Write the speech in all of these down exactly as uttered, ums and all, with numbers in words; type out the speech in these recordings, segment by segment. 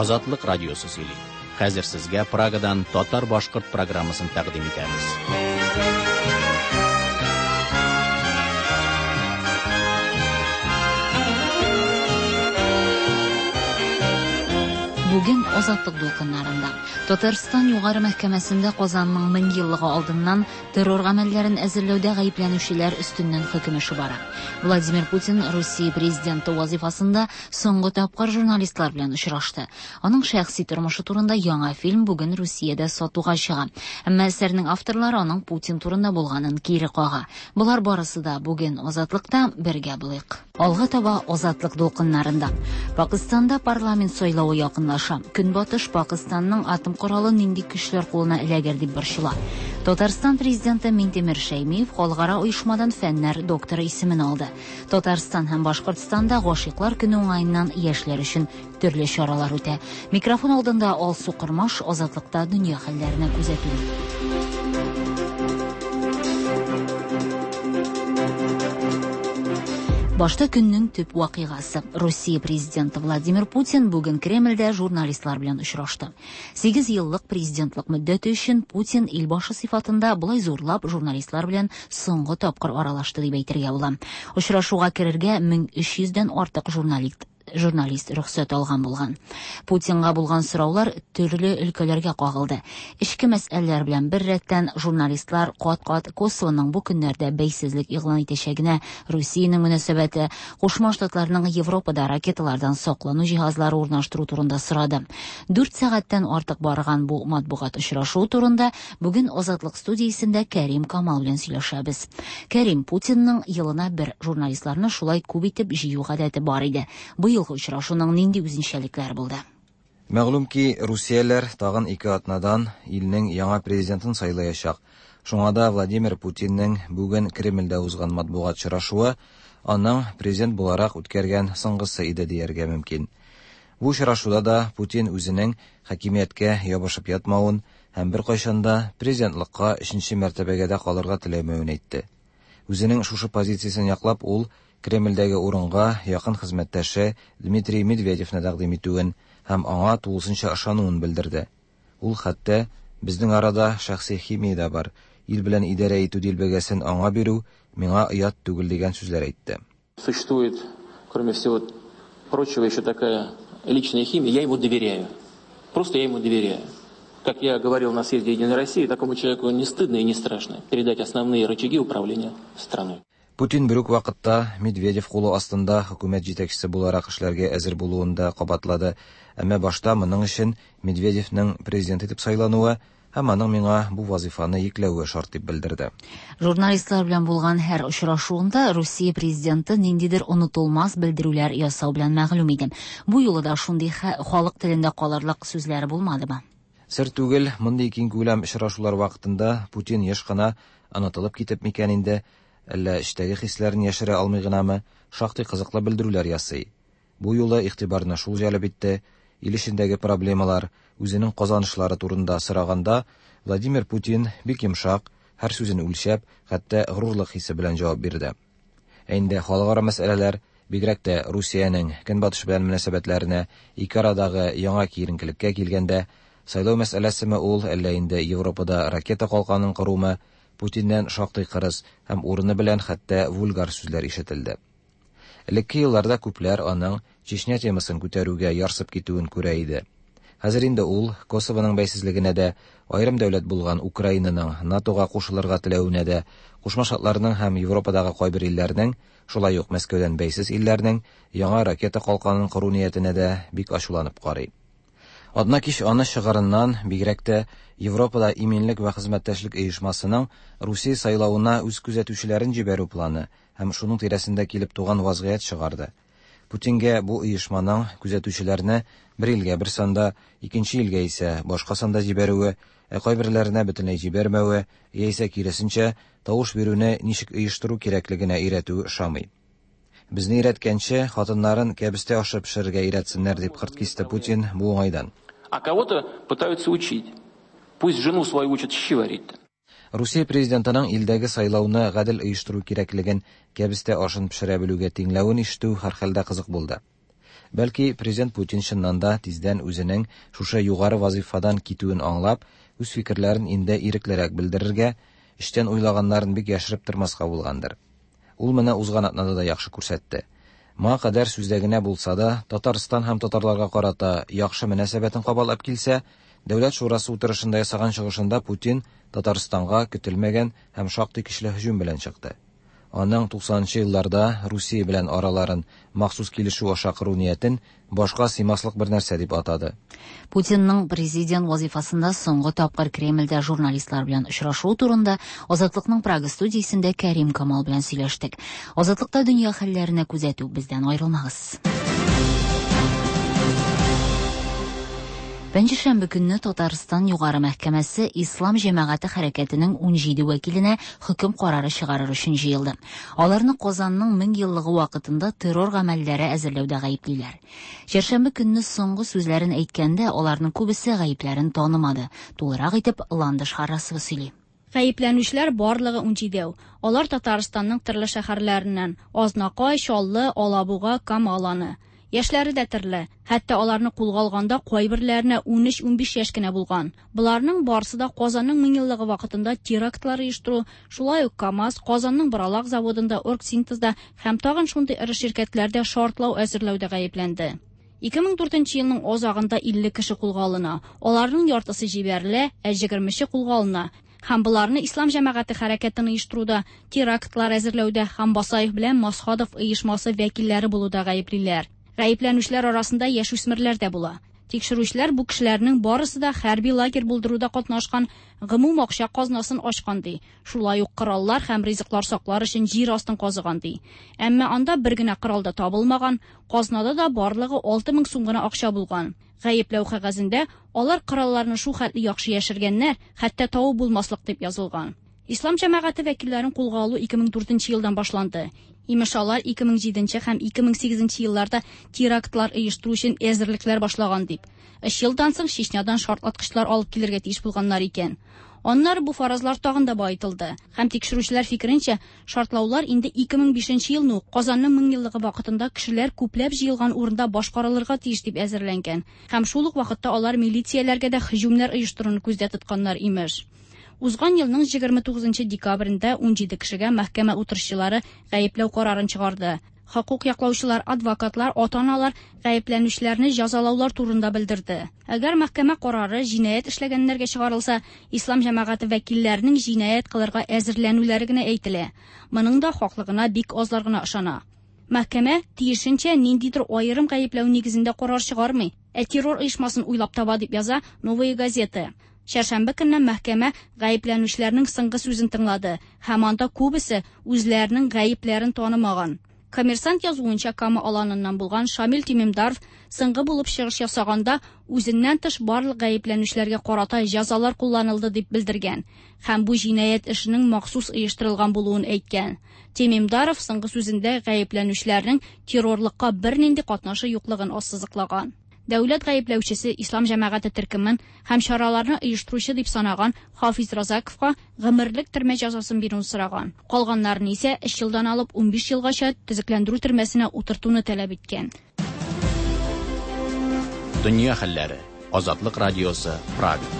Азатлык радиосы сөйли. Хәзер сезгә Прагадан татар-башкорт программасын тәкъдим итәбез. Бүген Азатлык дулкыннарында Татарстан Югары мәхкәмәсендә Казанның мең еллыгы алдыннан террор гамәлләрен әзерләүдә гаепләнүчеләр өстеннән хөкем эше бара. Владимир Путин Русия президенты вазифасында соңгы тапкыр журналистлар белән очрашты. Аның шәхси тормышы турында яңа фильм бүген Русиядә сатуга чыга. Әмма әсәрнең авторлары аның Путин турында булганын кире кага. Болар барысы да бүген Азатлыкта бергә булыйк. Алга таба Азатлык дулкыннарында. Пакистанда парламент сайлавы якынлаша. Көнбатыш Пакистанның атом коралы нинди көчләр кулына эләгер дип борчыла. Татарстан президенты Минтимер Шәймиев халыкара оешмадан фәннәр докторы исемен алды. Татарстан һәм Башкортстанда гашыйклар көне уңаеннан яшьләр өчен төрле чаралар үтә. Микрофон алдында Алсу Кормаш, Азатлыкта дөнья хәлләренә күзәтү. Башта көннең төп вакыйгасы. Русия президенты Владимир Путин бүген Кремльдә журналистлар белән очрашты. Сигез еллык президентлык мөддәте өчен Путин илбашы сыйфатында болай зурлап журналистлар белән соңгы тапкыр аралашты дип әйтергә була. Очрашуга керергә мең өч йөздән артык журналист журналист рөхсәт алган булган. Путинга булган сораулар төрле өлкәләргә кагылды. Эчке мәсьәләләр белән бер рәттән журналистлар кат-кат Косовоның бу көннәрдә бәйсезлек игълан итәчәгенә, Русиянең мөнәсәбәте, Кушма Штатларның Европада ракеталардан саклану җиһазлары урнаштыру турында сорады. Дүрт сәгатьтән артык барган бу матбугат очрашуы турында бүген Азатлык студиясендә Кәрим Камал белән сөйләшәбез. Кәрим, Путинның елына бер журналистларны шулай күп итеп җыю гадәте бар иде. Быел очрашуның нинди үзенчәлекләре булды? Мәгълүм ки, Русияләр тагын ике атнадан илнең яңа президентын сайлаячак. Шуңа да Владимир Путинның бүген Кремльдә узган матбугат очрашуы аның президент буларак үткәргән соңгысы иде дияргә мөмкин. Бу очрашуда да Путин үзенең хакимияткә ябышып ятмавын һәм беркайчан да президентлыкка өченче мәртәбәгә дә калырга теләмәвен әйтте. Үзенең шушы позициясен яклап, ул Кремльдәге урынга якын хезмәттәше Дмитрий Медведевны тәкъдим итүен һәм аңа тулысынча ышануын белдерде. Ул хәтта безнең арада шәхси химия дә бар, ил белән идарә итү дилбегәсен аңа бирү миңа оят түгел дигән сүзләр әйтте. Существует, кроме всего прочего, еще такая личная химия. Я ему доверяю. Просто я ему доверяю. Как я говорил на съезде Единой России, такому человеку не стыдно и не страшно передать основные рычаги управления страной. Путин бер үк вакытта Медведев кулы астында хөкүмәт җитәкчесе буларак эшләргә әзер булуын да кабатлады. Әмма башта моның өчен Медведевның президент итеп сайлануы һәм аның миңа бу вазифаны йөкләве шарт дип белдерде. Журналистлар белән булган һәр очрашуында Русия президенты ниндидер онытылмас белдерүләр ясау белән мәгълүм иде. Бу юлы да шундый халык телендә калырлык сүзләре булмадымы? Сер түгел, мондый киң күләм очрашулар вакытында Путин еш кына онытылып китеп микән инде, әллә эчтәге хисләрен яшерә алмый гынамы, шактый кызыклы белдерүләр ясый. Бу юлы игътибарны шул җәлеп итте: ил эчендәге проблемалар, үзенең казанышлары турында сораганда Владимир Путин бик йомшак, һәр сүзен үлчәп, хәтта горурлык хисе белән җавап бирде. Ә инде халыкара мәсьәләләр, бигрәк тә Русиянең Көнбатыш белән мөнәсәбәтләренә, ике арадагы яңа киеренкелеккә килгәндә, сайлау мәсьәләсеме ул, әллә инде Европада ракета калканын корумы, Путиннән шактый кырыс һәм урыны белән хәтта вульгар сүзләр ишетелде. Элекке елларда күпләр аның Чечня темасын күтәрүгә ярсып китүен күрә иде. Хәзер инде ул Косовоның бәйсезлегенә дә, аерым дәүләт булган Украинаның НАТОга кушылырга теләвенә дә, Кушма Штатларның һәм Европадагы кайбер илләрнең, шулай ук Мәскәүдән бәйсез илләрнең яңа ракета калканын кору ниятенә дә бик ачуланып карый. Адна кич аны чыгарыннан бигрәк тә Европада иминлек вә хезмәттәшлек оешмасының Русия сайлавына үз күзәтүчеләрен җибәрү планы һәм шуның тирәсендә килеп туган вазгыять чыгарды. Путингә бу оешманың күзәтүчеләрне бер илгә бер санда, икенче илгә исә башка санда җибәрүе, ә кайберләренә бөтенләй җибәрмәве, яисә киресенчә тавыш бирүне ничек оештыру кирәклегенә өйрәтүе ошамый. Безне өйрәткәнче, хатыннарын кәбестә ашы пешерергә өйрәтсеннәр дип кырт кисте Путин бу уңайдан. А кого-то пытаются учить. Пусть жену свою учат щи варить. Русия президентының илдәге сайлауны гадел оештыру кирәклеген кәбестә ашын пешерә белүгә тиңләвен ишетү һәрхәлдә кызык булды. Бәлки, президент Путин чыннан да тиздән үзенең шушы югары вазифадан китүен аңлап, үз фикерләрен инде иреклерәк белдерергә, эчтән уйлаганнарын бик яшереп тормаска булгандыр. Ул моны узган атнада да яхшы күрсәтте. Моңа кадәр сүздә генә булса да, Татарстан һәм татарларга карата яхшы мөнәсәбәтен кабатлап килсә, Дәүләт шурасы утырышында ясаган чыгышында Путин Татарстанга көтелмәгән һәм шактый көчле һөҗүм белән чыкты. Аның туксанынчы елларда Русия белән араларын махсус килешү аша кору ниятен башка сыймаслык бер нәрсә дип атады. Путинның президент вазифасында соңгы тапкыр Кремльдә журналистлар белән очрашуы турында Азатлыкның Прага студиясендә Кәрим Камал белән сөйләштек. Азатлыкта дөнья хәлләренә күзәтү, бездән аерылмагыз. Пәнҗешәмбе көнне Татарстан Югары мәхкәмәсе Ислам җәмәгате хәрәкәтенең унҗиде вәкиленә хөкем карары чыгарыр өчен җыелды. Аларны Казанның мең еллыгы вакытында террор гамәлләре әзерләүдә гаеплиләр. Чәршәмбе көнне соңгы сүзләрен әйткәндә аларның күбесе гаепләрен танымады. Тулырак итеп Ландыш Харрасова сөйли. Гаепләнүчеләр барлыгы унҗидәү. Алар Татарстанның төрле шәһәрләреннән: Азнакай, Чаллы, Алабуга, Кама Аланы. Яшьләре дә төрле. Хәтта аларны кулга алганда кайберләренә унөч-унбиш яшь кенә булган. Боларның барысы да Казанның мең еллыгы вакытында терактлар оештыру, шулай ук КАМАЗ, Казанның Боралак заводында, Оргсинтезда һәм тагын шундый эре ширкәтләрдә шартлау әзерләүдә гаепләнде. Ике мең дүртенче елның азагында илле кеше кулга алына. Аларның яртысы җибәрелә, ә егермесе кулга алына. Һәм боларны Ислам җәмәгате хәрәкәтен оештыруда, терактлар әзерләүдә һәм Басаев белән Масхадов оешмасы вәкилләре булуда гаеплиләр. Гаепләнүчеләр арасында яшүсмерләр дә була. Тикшерүчеләр бу кешеләрнең барысы да хәрби лагерь булдыруда катнашкан, гомум акча казнасын ачкан ди. Шулай ук кораллар һәм ризыклар саклар өчен җир астын казыган ди. Әмма анда бер генә корал да табылмаган, казнада да барлыгы алты мең сум гына акча булган. Гаепләү кәгазендә алар коралларны шул хәтле яхшы яшергәннәр, хәтта табып булмаслык дип язылган. Ислам җәмәгате вәкилләрен кулга алу ике мең дүртенче елдан башланды. Имеш алар ике мең җиденче һәм ике мең сигезенче елларда терактлар оештыру өчен әзерлекләр башлаган дип. Өч елдан соң Чечнядан шартлаткычлар алып килергә тиеш булганнар икән. Аннары бу фаразлар тагын да баетылды. Һәм тикшерүчеләр фикеренчә, шартлаулар инде ике мең бишенче елны ук Казанның мең еллыгы вакытында кешеләр күпләп җыелган урында башкарылырга тиеш дип әзерләнгән. Һәм шул ук вакытта алар милицияләргә дә һөҗүмнәр оештыруны күздә тотканнар имеш. Узган елның егерме тугызынчы декабрендә унҗиде кешегә мәхкәмә утырышчылары гаепләү карарын чыгарды. Хокук яклаучылар, адвокатлар, ата-аналар гаепләнүчеләрне җәзалаулар турында белдерде. Әгәр мәхкәмә карары җинаять эшләгәннәргә чыгарылса, Ислам җәмәгате вәкилләренең җинаять кылырга әзерләнүләре генә әйтелә. Моның да хаклыгына бик азлар гына ышана. Мәхкәмә тиешенчә ниндидер аерым гаепләү нигезендә карар чыгармый, ә террор оешмасын уйлап таба дип яза Новая газета. Чәршәмбе көнне мәхкәмә гаепләнүчеләрнең соңгы сүзен тыңлады һәм анда күбесе үзләренең гаепләрен танымаган. Коммерсант язуынча, Кама Аланыннан булган Шамил Тимимдаров соңгы булып чыгыш ясаганда үзеннән тыш барлык гаепләнүчеләргә карата җәзалар кулланылды дип белдергән һәм бу җинаять эшенең махсус оештырылган булуын әйткән. Тимимдаров соңгы сүзендә гаепләнүчеләрнең террорлыкка бернинди катнашы юклыгын ассызыклаган. Дәүләт гаепләүчесе Ислам җәмәгате төркемен һәм чараларны оештыручы дип санаган Хафиз Разаковка гомерлек төрмә җәзасын бирүен сораган. Калганнарын исә өч елдан алып унбиш елгача төзекләндерү төрмәсенә утыртуны таләп иткән. Дөнья хәлләре. Азатлык радиосы, Прага.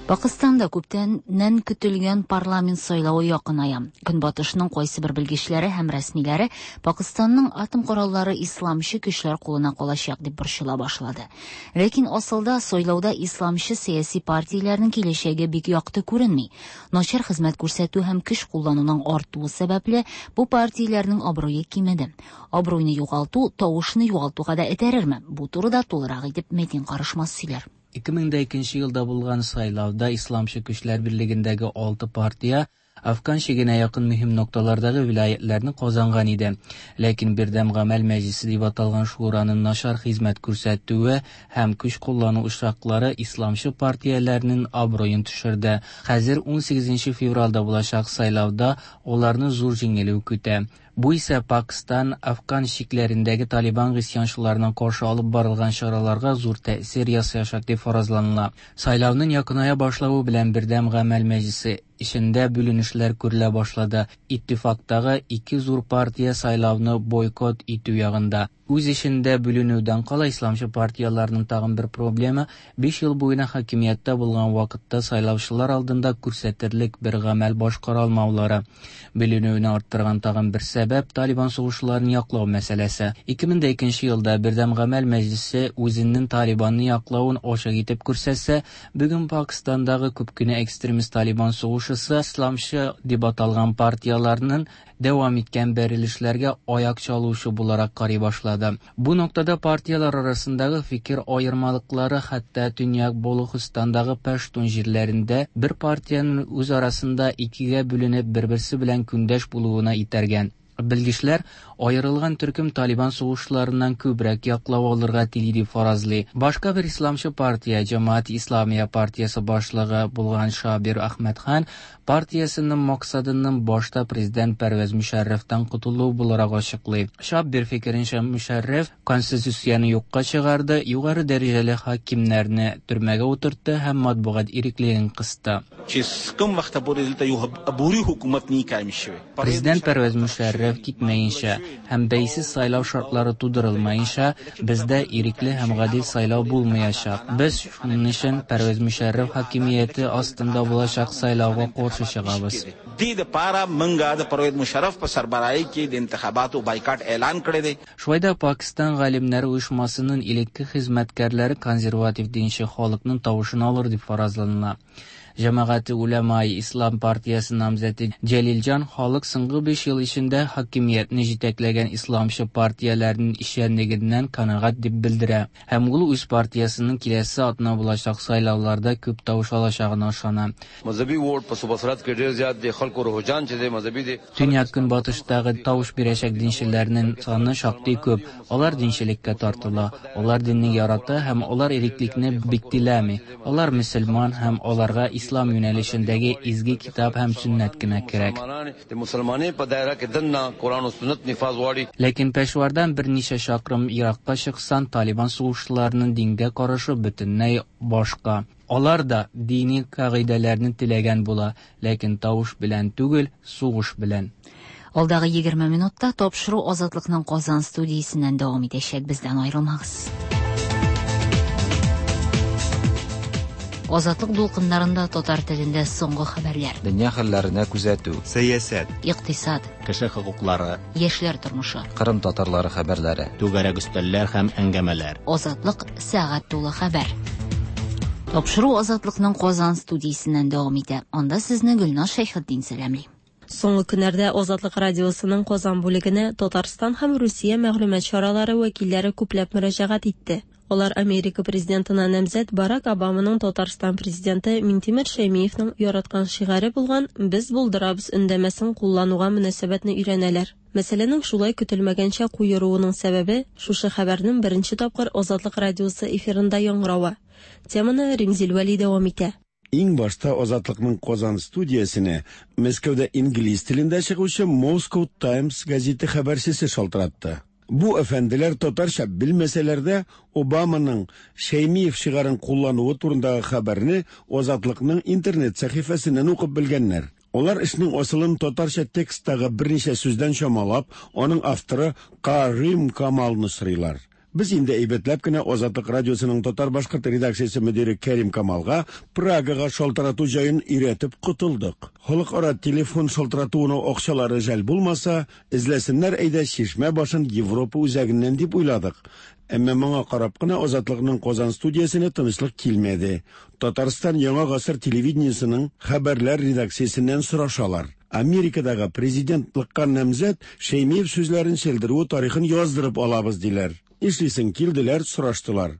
Пакыстанда күптәннән көтелгән парламент сайлавы якыная. Көнбатышның кайсы бер белгечләре һәм рәсмиләре Пакыстанның атом кораллары исламчы көчләр кулына калачак дип борчыла башлады. Ләкин асылда сайлауда исламчы сәяси партияләрнең киләчәге бик якты күренми. Начар хезмәт күрсәтү һәм көч куллануның артуы сәбәпле бу партияләрнең абруе кимеде. Абруйны югалту тавышны югалтуга да этәрерме? Бу турыда тулырак итеп Метин Карышмас сөйләр. Ике мең дә икенче елда булган сайлауда Исламчы көчләр берлегендәге алты партия Афган чигенә якын мөһим нокталардагы вилаятларны казанган иде. Ләкин Бердәм гамәл мәҗлисе дип аталган шураның начар хезмәт күрсәтүе һәм көч куллану очраклары исламчы партияләрнең абруен төшерде. Хәзер ун сигезенче февральдә булачак сайлауда аларны зур җиңелү көтә. Бу исә Пакистан, Афган чикләрендәге Талибан гыйсьянчыларына каршы алып барылган чараларга зур тәэсир ясаячак дип фаразланыла. Сайлауның якыная башлавы белән Бердәм гамәл мәҗлесе эчендә бүленешләр күрелә башлады. Иттифактагы ике зур партия сайлауны бойкот итү ягында. Үз эчендә бүленүдән кала исламчы партияләрнең тагын бер проблемы биш ел буена хакимияттә булган вакытта сайлаучылар алдында күрсәтерлек бер гамәл башкара алмаулары. Бүленүне арттырган тагын бер сәбәп Талибан сугышчыларын яклау мәсьәләсе. ике мең икенче елда Бердәм гамәл мәҗлесе үзенең Талибанны яклавын ачык итеп күрсәтсә, бүген Пакистандагы күп кенә экстремист Талибан сугышчысы исламчы дип аталган партияләрнең дәвам иткән бәрелешләргә аяк чалучы буларак карый башлады. Бу ноктада партияләр арасындагы фикер аермалыклары хәтта Төньяк Балугыстандагы паштун җирләрендә бер партиянең үз арасында икегә бүленеп бер-берсе белән көндәш булуына итәргән. Белгечләр аерылган төркем Талибан сугышчыларыннан күбрәк яклау алырга тели дип фаразлый. Башка бер исламчы партия, Җәмәгать Исламия партиясе башлыгы булган Шабир Әхмәдхан партиясенең максатының башта президент Пәрвәз Мөшәррәфтән котылу буларак ачыклый. Шабир фикеренчә, Мөшәррәф конституцияне юкка чыгарды, югары дәрәҗәле хакимнәрне төрмәгә утыртты һәм матбугат иреклеген кысты. Президент Пәрвәз Мөшәррәф китмәенчә һәм бәйсез сайлау шартлары тудырылмаенча, бездә ирекле һәм гадел сайлау булмаячак. Без шуның өчен Пәрвәз Мөшәррәф хакимияте астында булачак сайлауга каршы чыгабыз. Шулай да Пакистан галимнәре оешмасының элекке хезмәткәрләре консерватив динче халыкның тавышын алыр дип фаразланыла. Җәмәгате Улямай Ислам партиясе намзәте Җәлилҗан халык соңгы биш ел эчендә хакимиятне җитәкләгән исламчы партияләрнең эшчәнлегеннән канәгать дип белдерә. Һәм ул үз партиясенең киләсе атна булачак сайлауларда күп тавыш алачагына ышана. Төньяк көнбатыштагы тавыш бирәчәк динчеләрнең саны шактый күп. Алар динчелеккә тартыла, алар динне ярата һәм алар иреклекне бик теләми. Алар мөселман һәм аларга ислам юнәлешендәге изге китап һәм сөннәт кенә кирәк. Ләкин Пешвардан берничә чакрым еракка чыксан, Талибан сугышчыларының дингә карашы бөтенләй башка. Алар да дини кагыйдәләрне теләгән була, ләкин тавыш белән түгел, сугыш белән. Алдагы егерме минутта тапшыру Азатлыкның Казан студиясеннән дәвам итәчәк. Бездән аерылмагыз. Азатлык дулкыннарында татар телендә соңгы хәбәрләр. Дөнья хәлләренә күзәтү, сәясәт, икътисад, кеше хокуклары, яшьләр тормышы, Кырым татарлары хәбәрләре, түгәрәк өстәлләр һәм әңгәмәләр. Азатлык сәгать тулы хәбәр. Тапшыру Азатлыкның Казан студиясеннән дәвам итә. Анда сезне Гөлназ Шәйхетдин сәламли. Соңгы көннәрдә Азатлык радиосының Казан бүлегенә Татарстан һәм Русия мәгълүмат чаралары вәкилләре күпләп мөрәҗәгать итте. Алар Америка президентына намзәт Барак Обаманың Татарстан президенты Минтимер Шәймиевның яраткан шигаре булган «Без булдырабыз» өндәмәсен куллануга мөнәсәбәтне өйрәнәләр. Мәсьәләнең шулай көтелмәгәнчә куеруының сәбәбе шушы хәбәрнең беренче тапкыр Азатлык радиосы эфирында яңгыравы. Теманы Римзил Вәли дәвам итә. Иң башта Азатлыкның Казан студиясенә Мәскәүдә инглиз телендә чыгучы Moscow Times газеты хәбәрчесе шалтыратты. Бу әфәнделәр татарча белмәсәләр дә Обаманың Шәймиев шигарын куллануы турындагы хәбәрне Азатлыкның интернет сәхифәсеннән укып белгәннәр. Алар эшнең асылын татарча тексттагы берничә сүздән чамалап, аның авторы Карим Камалны сорыйлар. Без инде әйбәтләп кенә Азатлык радиосының татар-башкорт редакциясе мөдире Кәрим Камалга Прагага шалтырату җаен өйрәтеп котылдык. Халыкара телефон шалтыратуына акчалары жәл булмаса, эзләсеннәр әйдә чишмә башын Европа үзәгеннән дип уйладык. Әмма моңа карап кына Азатлыкның Казан студиясенә тынычлык килмәде. Татарстан Яңа гасыр телевидениесының хәбәрләр редакциясеннән сорашалар. Америкадагы президентлыкка намзәт Шәймиев сүзләрен селдерүе тарихын яздырып алабыз диләр. Эшлисең килделәр, сораштылар.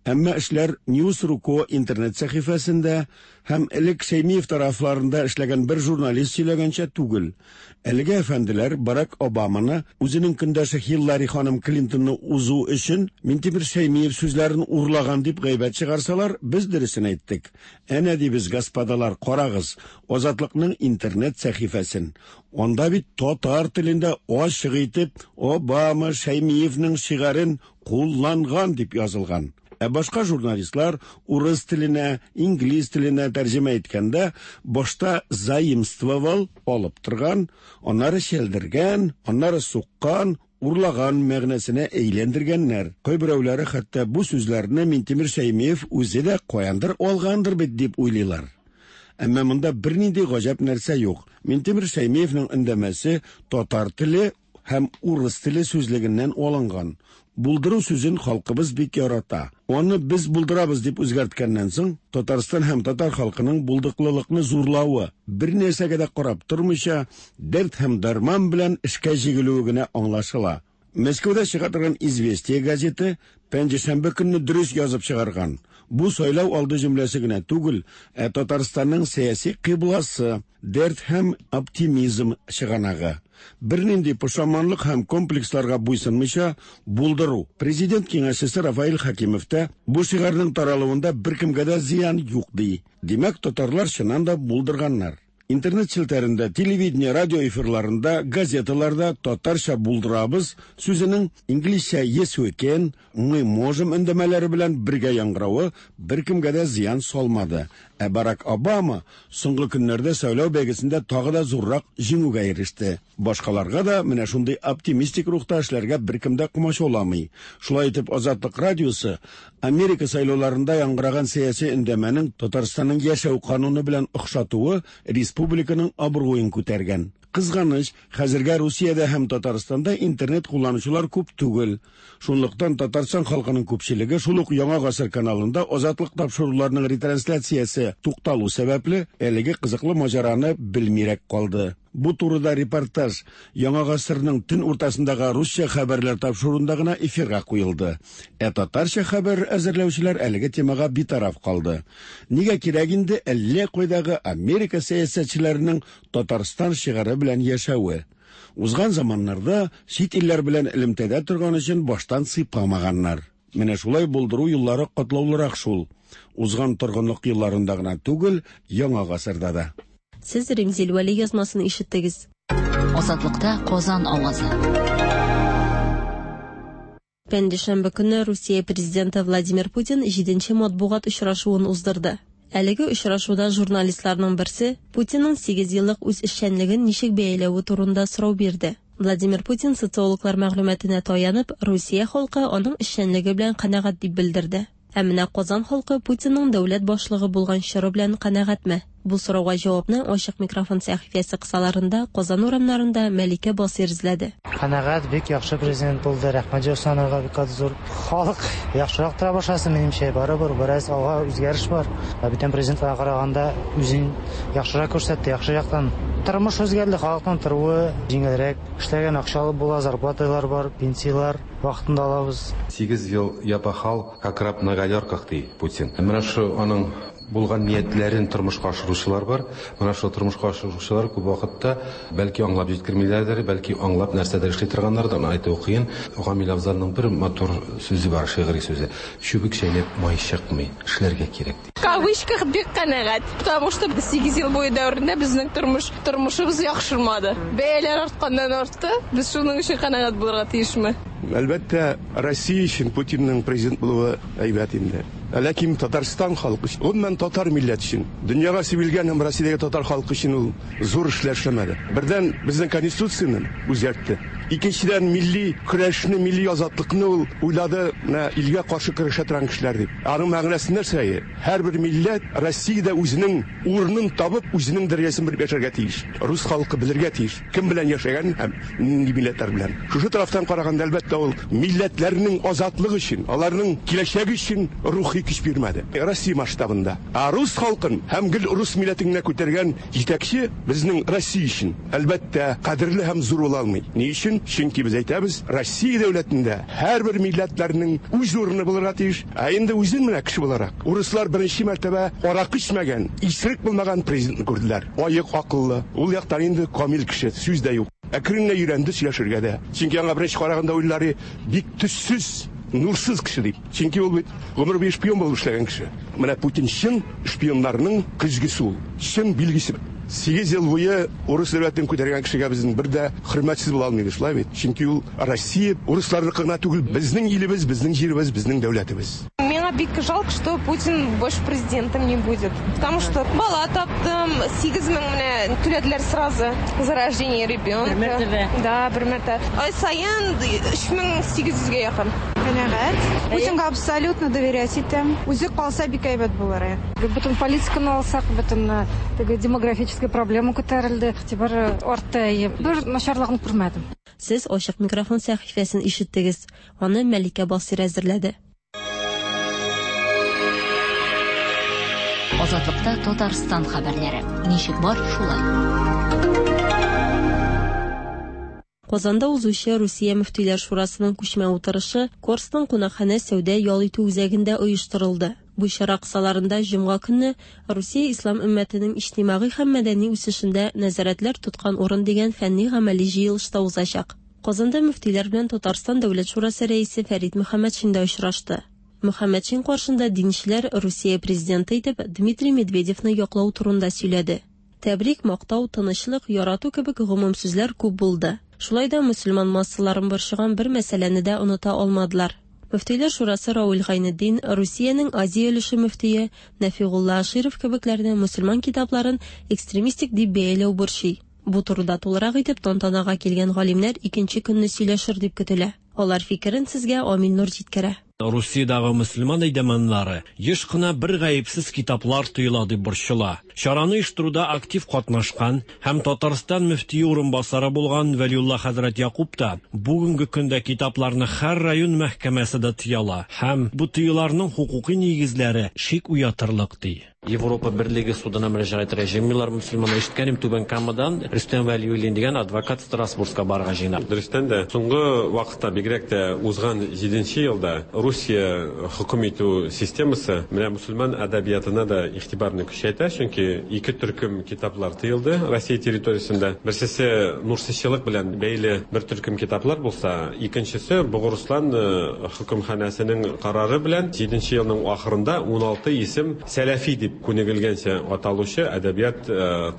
Әмма эшләр News точка ко интернет сәхифәсендә һәм элек Шәймиев тарафларында эшләгән бер журналист сөйләгәнчә түгел. Әлеге әфәнделәр Барак Обаманы үзенең көндәше Хиллари ханым Клинтонны узу өчен Минтимер Шәймиев сүзләрен урлаган дип гайбәт чыгарсалар, без дөресен әйттек. Әнә дибез, господалар, карагыз Азатлыкның интернет сәхифәсен. Анда бит татар телендә ачык итеп Обама Шәймиевнең шигарен кулланган дип язылган. Ә башка журналистлар урыс теленә, инглиз теленә тәрҗемә иткәндә башта заимствовал алып торган, аннары чәлдергән, аннары суккан, урлаган мәгънәсенә әйләндергәннәр. Кайберәүләре хәтта бу сүзләрне Минтимер Шәймиев үзе дә каяндыр алгандыр бит дип уйлыйлар. Әмма монда бернинди гаҗәп нәрсә юк. Минтимер Шәймиевнең өндәмәсе татар теле һәм урыс теле сүзлегеннән алынган. Булдыру сүзен халкыбыз бик ярата. Аны без булдырабыз дип үзгәрткәннән соң, Татарстан һәм татар халкының булдыклылыкны зурлавы, бер нәрсәгә дә карап тормыйча, дәрт һәм дарман белән эшкә җигелүе генә аңлашыла. Мәскәүдә чыга торган «Известия» газеты пәнҗешәмбе көнне дөрес язып чыгарган. Бу сайлау алды җөмләсе генә түгел, ә Татарстанның сәяси кыйбласы, дәрт һәм оптимизм чыганагы. Бернинди пошаманлык һәм комплексларга буйсынмыйча булдыру. Президент киңәшчесе Рафаэль Хакимов та бу шигарның таралуында беркемгә дә зыян юк ди. Димәк, татарлар чыннан да булдырганнар. Интернет челтәрендә, телевидение, радио эфирларында, газеталарда татарча булдырабыз сүзенең инглизчә yes we can, мы можем өндәмәләре белән бергә яңгыравы беркемгә дә зыян салмады. Ә Барак Обама соңгы көннәрдә сайлау бәйгесендә тагы да зуррак җиңүгә иреште. Башкаларга да менә шундый оптимистик рухта эшләргә беркем дә комачауламый. Шулай итеп, Азатлык радиосы Америка сайлауларында яңгыраган сәяси өндәмәнең Татарстанның яшәү кануны белән охшатуы республиканың абруен күтәргән. Кызганыч, хәзергә Русиядә һәм Татарстанда интернет кулланучылар күп түгел. Шунлыктан Татарстан халкының күпчелеге шул ук Яңа гасыр каналында Азатлык тапшыруларының ретрансляциясе тукталу сәбәпле әлеге кызыклы маҗараны белмирәк калды. Бу турыда репортаж Яңа гасырның төн уртасындагы русча хәбәрләр тапшыруында гына эфирга куелды. Ә татарча хәбәр әзерләүчеләр әлеге темага битараф калды. Нигә кирәк инде әллә кайдагы Америка сәясәтчеләренең Татарстан шигаре белән яшәве? Узган заманнарда чит илләр белән элемтәдә торган өчен баштан сыйпамаганнар. Менә шулай булдыру юллары катлаулырак шул. Узган торгынлык елларында гына түгел, яңа гасырда да. Сез Римзил Вәли язмасын ишеттегез. Азатлыкта Казан авазы. Пәнҗешәмбе көнне Русия президенты Владимир Путин җиденче матбугат очрашуын уздырды. Әлеге очрашуда журналистларның берсе Путинның сигез еллык үз эшчәнлеген ничек бәяләве турында сорау бирде. Владимир Путин социологлар мәгълүматына таянып, Русия халкы аның эшчәнлеге белән канәгать дип белдерде. Ә менә Казан халкы Путинның дәүләт башлыгы булган чоры белән канәгатьме? Бу сорауга җавапны ачык микрофон сәхифәсе кысаларында Казан урамнарында Мәликә Басир эзләде. Канәгать, бик яхшы президент булды. Рәхмәт Җусановга бик зур. Халык яхшырак тора башласын, минемчә, барыбер бераз алга үзгәреш бар. Бүтән президентларга караганда үзен яхшырак күрсәтте, яхшы яктан. Тормыш үзгәрде, халыкның торуы җиңелрәк, эшләгән акча алып була, зарплаталар бар, пенсияләр вакытында алабыз. Сигез ел я пахал, как раб на галерках, ди Путин. Менә шу аның булган ниятләрен тормышка ашыручылар бар. Менә шул тормышка ашыручылар күп вакытта бәлки аңлап җиткермиләрдер, бәлки аңлап нәрсәдер эшли торганнардыр. Аны әйтү кыен. Гамил Афзалның бер матур сүзе бар, шигъри сүзе. Чүбек чәйнәп май чыкмый, эшләргә кирәк ди. В кавычках бик канәгать, потому что сигез ел буе дәверендә безнең тормыш тормышыбыз яхшырмады. Бәяләр артканнан артты. Без шуның өчен канәгать булырга тиешме? Әлбәттә, Россия өчен Путинның президент булуы әйбәт инде. Ләкин Татарстан халкы өчен, гомумән татар милләте өчен, дөньяга сибелгән һәм Россиядәге татар халкы өчен ул зур эшләр эшләмәде. Бердән, безнең конституцияне үзгәртте. Икенчедән, милли көрәшне, милли азатлыкны ул уйлады, менә илгә каршы көрәшә торган кешеләр дип. Аның мәгънәсе нәрсә? Һәрбер милләт Россиядә үзенең урынын табып, үзенең дәрәҗәсен белеп яшәргә тиеш. Рус халкы белергә тиеш, кем белән яшәгән һәм нинди милләтләр белән. Шушы тарафтан караганда, әлбәттә, ул милләтләрнең азатлыгы өчен, аларның киләчәге өчен рухи көч бирмәде. Россия масштабында. Ә рус халкын һәм гел рус милләтен генә күтәргән җитәкче безнең Россия өчен, әлбәттә, кадерле һәм зур була алмый. Ни өчен? мөмкин, чөнки без әйтәбез, Россия дәүләтендә һәрбер милләтләрнең үз урыны булырга тиеш. Ә инде үзен менә кеше буларак, урыслар беренче мәртәбә аракы эчмәгән, исерек булмаган президентны күрделәр. Аек акыллы, ул яктан инде камил кеше, сүз дә юк. Әкрен генә өйрәнде сөйләшергә дә. Чөнки аңа беренче караганда уйлары бик төссез, нурсыз кеше дип. Чөнки ул бит гомер буе шпион булып эшләгән кеше. Менә Путин чын шпионнарның көзгесе ул, чын билгесе. Сигез ел буе урыс дәүләтен күтәргән кешегә безнең бер дә хөрмәтсез була алмыйбыз, шулай бит? Чөнки ул Россия урысларныкы гына түгел, безнең илебез, безнең җиребез, безнең дәүләтебез. Миңа бик жалко, что Путин больше президентом не будет. Потому что бала таптым, сигез мең менә түләделәр сразу за рождение ребенка. Бер мәртәбә. Да, бер мәртәбә. Ай саен өч мең сигез йөзгә якын. Канәгать. Путинга абсолютно доверять итәм. Үзе калса бик әйбәт булыр. Бөтен политиканы алсак, бөтен теге демографическая проблема күтәрелде. Игътибар артты. Бер начарлыгын күрмәдем. Сез ачык микрофон сәхифәсен ишеттегез. Аны Мәликә Басир әзерләде. Азатлыкта Татарстан хәбәрләре. Ничек бар, шулай. Казанда узучы Русия Мөфтиләр Шурасының күчмә утырышы Корстон кунакханә сәүдә ял итү үзәгендә оештырылды. Бу чара кысаларында җомга көнне Русия ислам өммәтенең иҗтимагый һәм мәдәни үсешендә нәзарәтләр тоткан урын дигән фәнни гамәли җыелышта узачак. Казанда мөфтиләр белән Татарстан Дәүләт Шурасы рәисе Фәрит Мөхәммәтшин дә очрашты. Мөхәммәтшин каршында динчеләр Русия президенты итеп Дмитрий Медведевны яклау турында сөйләде. Тәбрик, мактау, тынычлык, ярату кебек гомум сүзләр күп булды. Шулай да мөселман массаларын борчыган бер мәсьәләне дә оныта алмадылар. Мөфтиләр Шурасы Рауль Гайнетдин, Русиянең Азия өлеше мөфтие Нәфигулла Аширов кебекләрне мөселман китапларын экстремистик дип бәяләү борчый. Бу турыда тулырак итеп тантанага килгән галимнәр икенче көнне сөйләшер дип көтелә. Алар фикерен сезгә Амил Нур җиткерә. Русиядагы мөселман әйдәманнары еш кына бер гаепсез китаплар тыела дип борчыла. Чараны оештыруда актив катнашкан һәм Татарстан мөфтие урынбасары булган Вәлиулла хәзрәт Якуб та бүгенге көндә китапларны һәр район мәхкәмәсе дә тыяла һәм бу тыюларның хукуки нигезләре шик уятырлык ди. Европа Берлеге судына мөрәҗәгать итәргә җыенмыйлар мөселманнар. Ишеткәнем Түбән Камадан Рөстәм Вәлиуллин дигән адвокат Страсбургка барырга җыена. Дөрестән дә, соңгы вакытта бигрәк тә узган җиденче елда Русия хөкем итү системасы менә мөселман әдәбиятына да игътибарны көчәйтә, чөнки ике төркем китаплар тыелды Россия территориясендә. Берсесе нурсызчылык белән бәйле бер төркем китаплар булса, икенчесе Богорслан хөкемханәсенең карары белән җиденче елның ахырында ун алты исем сәләфи дип күнегелгәнчә аталучы әдәбият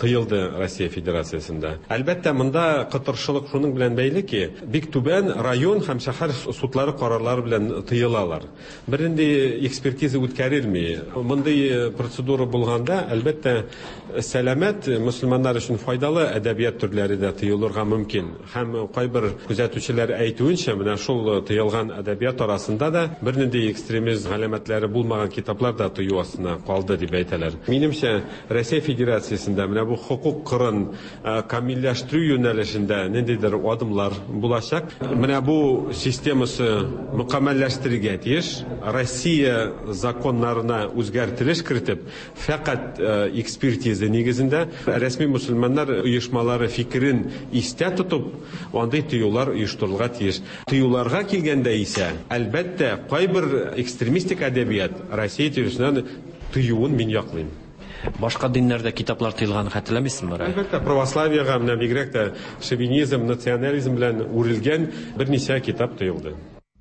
тыелды Россия Федерациясендә. Әлбәттә, монда кытыршылык шуның белән бәйле ки, бик түбән район һәм шәһәр судлары карарлары белән тыелалар. Бернинди экспертиза үткәрелми. Мондый процедура булганда, әлбәттә, сәламәт мөселманнар өчен файдалы әдәбият төрләре дә тыелырга мөмкин. Һәм кайбер күзәтүчеләр әйтүенчә, менә шул тыелган әдәбият арасында да бернинди экстремизм галәмәтләре булмаган китаплар да тыю астына калды дип әйтәләр. Минемчә, Россия Федерациясендә менә бу хукук кырын камилләштерү юнәлешендә ниндидер адымлар булачак. Менә бу системасы мөкәммәлләштерергә тиеш. Россия законнарына үзгәртелеш кертеп, фәкать экспертиза нигезендә рәсми мөселманнар оешмалары фикерен истә тотып, андый тыюлар оештырылырга тиеш. Тыюларга килгәндә исә, әлбәттә, кайбер экстремистик әдәбият Россия территориясеннән тыюын мин яклыйм. Башка диннәрдә китаплар тыелганын хәтерләмисезме? Әлбәттә, православиягә менә бигрәк тә шовинизм, национализм белән үрелгән берничә китап тыелды.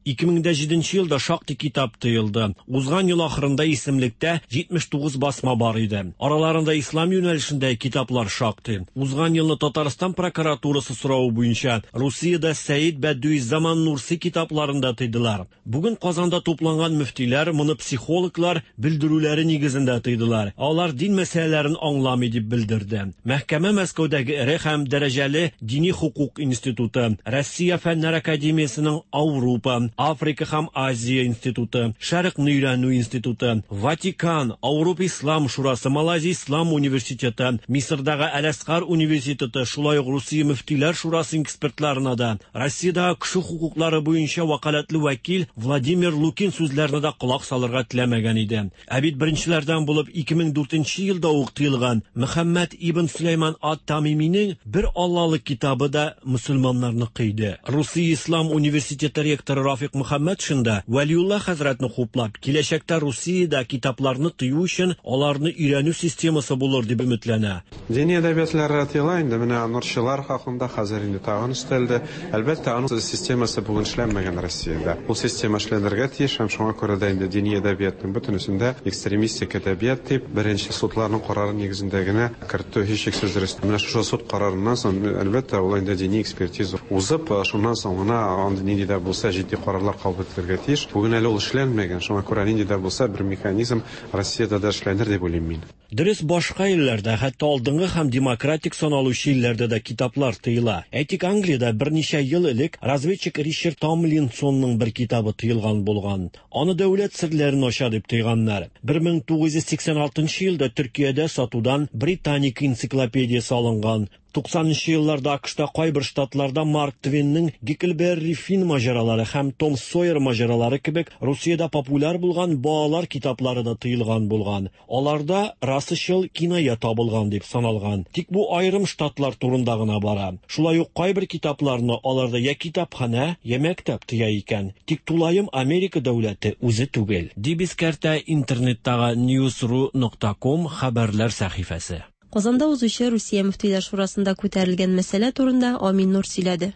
ике мең җиденче елда шактый китап тыелды. Узган ел ахырында исемлектә җитмеш тугыз басма бар иде. Араларында ислам юнәлешендә китаплар шактый. Узган елны Татарстан прокуратурасы соравы буенча Русиядә Сәид Бәдүиззаман Нурси китапларын да тыйдылар. Бүген Казанда тупланган мөфтиләр моны психологлар белдерүләре нигезендә тыйдылар. Алар дин мәсьәләләрен аңламый дип белдерде. Мәхкәмә Мәскәүдәге эре һәм дәрәҗәле дини хукук институты, Россия Фәннәр академиясенең Ауропа, Африка һәм Азия институты, Шәрыкны өйрәнү институты, Ватикан, Ауропа Ислам шурасы, Малайзия Ислам университеты, Мисырдагы Әл-Әзһар университеты, шулай ук Русия мөфтиләр шурасы экспертларына да, Россиядәге кеше хокуклары буенча вәкаләтле вәкил Владимир Лукин сүзләренә дә колак салырга теләмәгән иде. Ә бит беренчеләрдән булып ике мең дүртенче елда ук тыелган Мөхәммәд ибн Сулейман ат-Тамиминең бер Аллалык китабы да мөселманнарны кыйды. Русия Ислам университеты ректоры Рафик Мөхәммәтшин да Вәлиулла хәзрәтне хуплап, киләчәктә Русиядә китапларны тыю өчен аларны өйрәнү системасы булыр дип өметләнә. Дини әдәбиятлар тыела инде, менә нурчылар хакында хәзер инде тагын өстәлде. Әлбәттә, аның системасы бүген эшләнмәгән Россиядә. Ул система эшләнергә тиеш һәм шуңа күрә дә инде дини әдәбиятның бөтенесендә экстремистик әдәбият дип беренче судларның карары нигезендә генә кертү һичшиксез дөрес. Менә шушы суд карарыннан соң, әлбәттә, ул инде дини экспертиза узып, шуннан соң гына андый нинди дә булса җитди карарлар кабул ителергә тиеш. Бүген әле ул эшләнмәгән, шуңа күрә нинди дә булса бер механизм Россиядә дә эшләнер дип уйлыйм мин. Дөрес, башка илләрдә, хәтта алдынгы һәм демократик саналучы илләрдә дә китаплар тыела. Әйтик, Англиядә берничә ел элек разведчик Ричард Томлинсонның бер китабы тыелган булган. Аны дәүләт серләрен ача дип тыйганнар. бер мең тугыз йөз сиксән алтынчы елда Төркиядә сатудан Британика энциклопедиясе алынган. Туксанынчы елларда АКШта кайбер штатларда Марк Твенның Гекльберри Финн маҗаралары һәм Том Сойер маҗаралары кебек Русиядә популяр булган балалар китаплары да тыелган булган. Аларда расачыл киная табылган дип саналган. Тик бу аерым штатлар турында гына бара. Шулай ук кайбер китапларны аларда я китапханә, я мәктәп тыя икән. Тик тулаем Америка дәүләте үзе түгел. Дип искәртә интернеттагы news ru нокта ком хәбәрләр сәхифәсе. Казанда узучы Русия мөфтиләр шурасында күтәрелгән мәсьәлә турында Амин Нур сөйләде.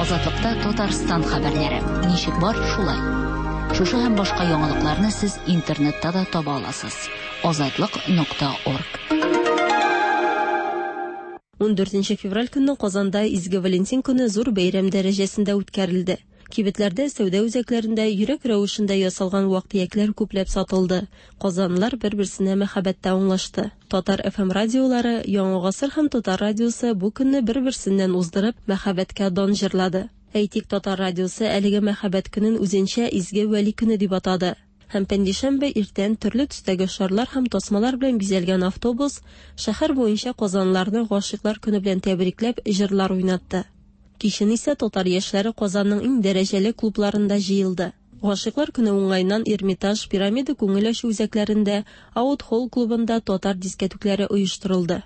Азатлыкта Татарстан хәбәрләре. Ничек бар, шулай. Шушы һәм башка яңалыкларны сез интернетта да таба аласыз. Азатлык нокта орг. Ун дүртенче февраль көнне Казанда Изге Валентин көне зур бәйрәм дәрәҗәсендә үткәрелде. Кибетләрдә, сәүдә үзәкләрендә йөрәк рәвешендә ясалган вак-төякләр күпләп сатылды. Казанлылар бер-берсенә мәхәббәттә аңлашты. Татар эф эм радиолары, Яңа гасыр һәм Татар радиосы бу көнне бер-берсеннән уздырып, мәхәббәткә дан җырлады. Әйтик, Татар радиосы әлеге мәхәббәт көнен үзенчә Изге Вәли көне дип атады. Һәм пәнҗешәмбе иртән төрле төстәге шарлар һәм тасмалар белән бизәлгән автобус шәһәр буенча казанлыларны гашыйклар көне белән тәбрикләп җырлар уйнатты. Кичен исә татар яшьләре Казанның иң дәрәҗәле клубларында җыелды. Гашыйклар көне уңаеннан Эрмитаж, Пирамида күңел ачу үзәкләрендә, Аут-холл клубында татар дискәтүкләре оештырылды.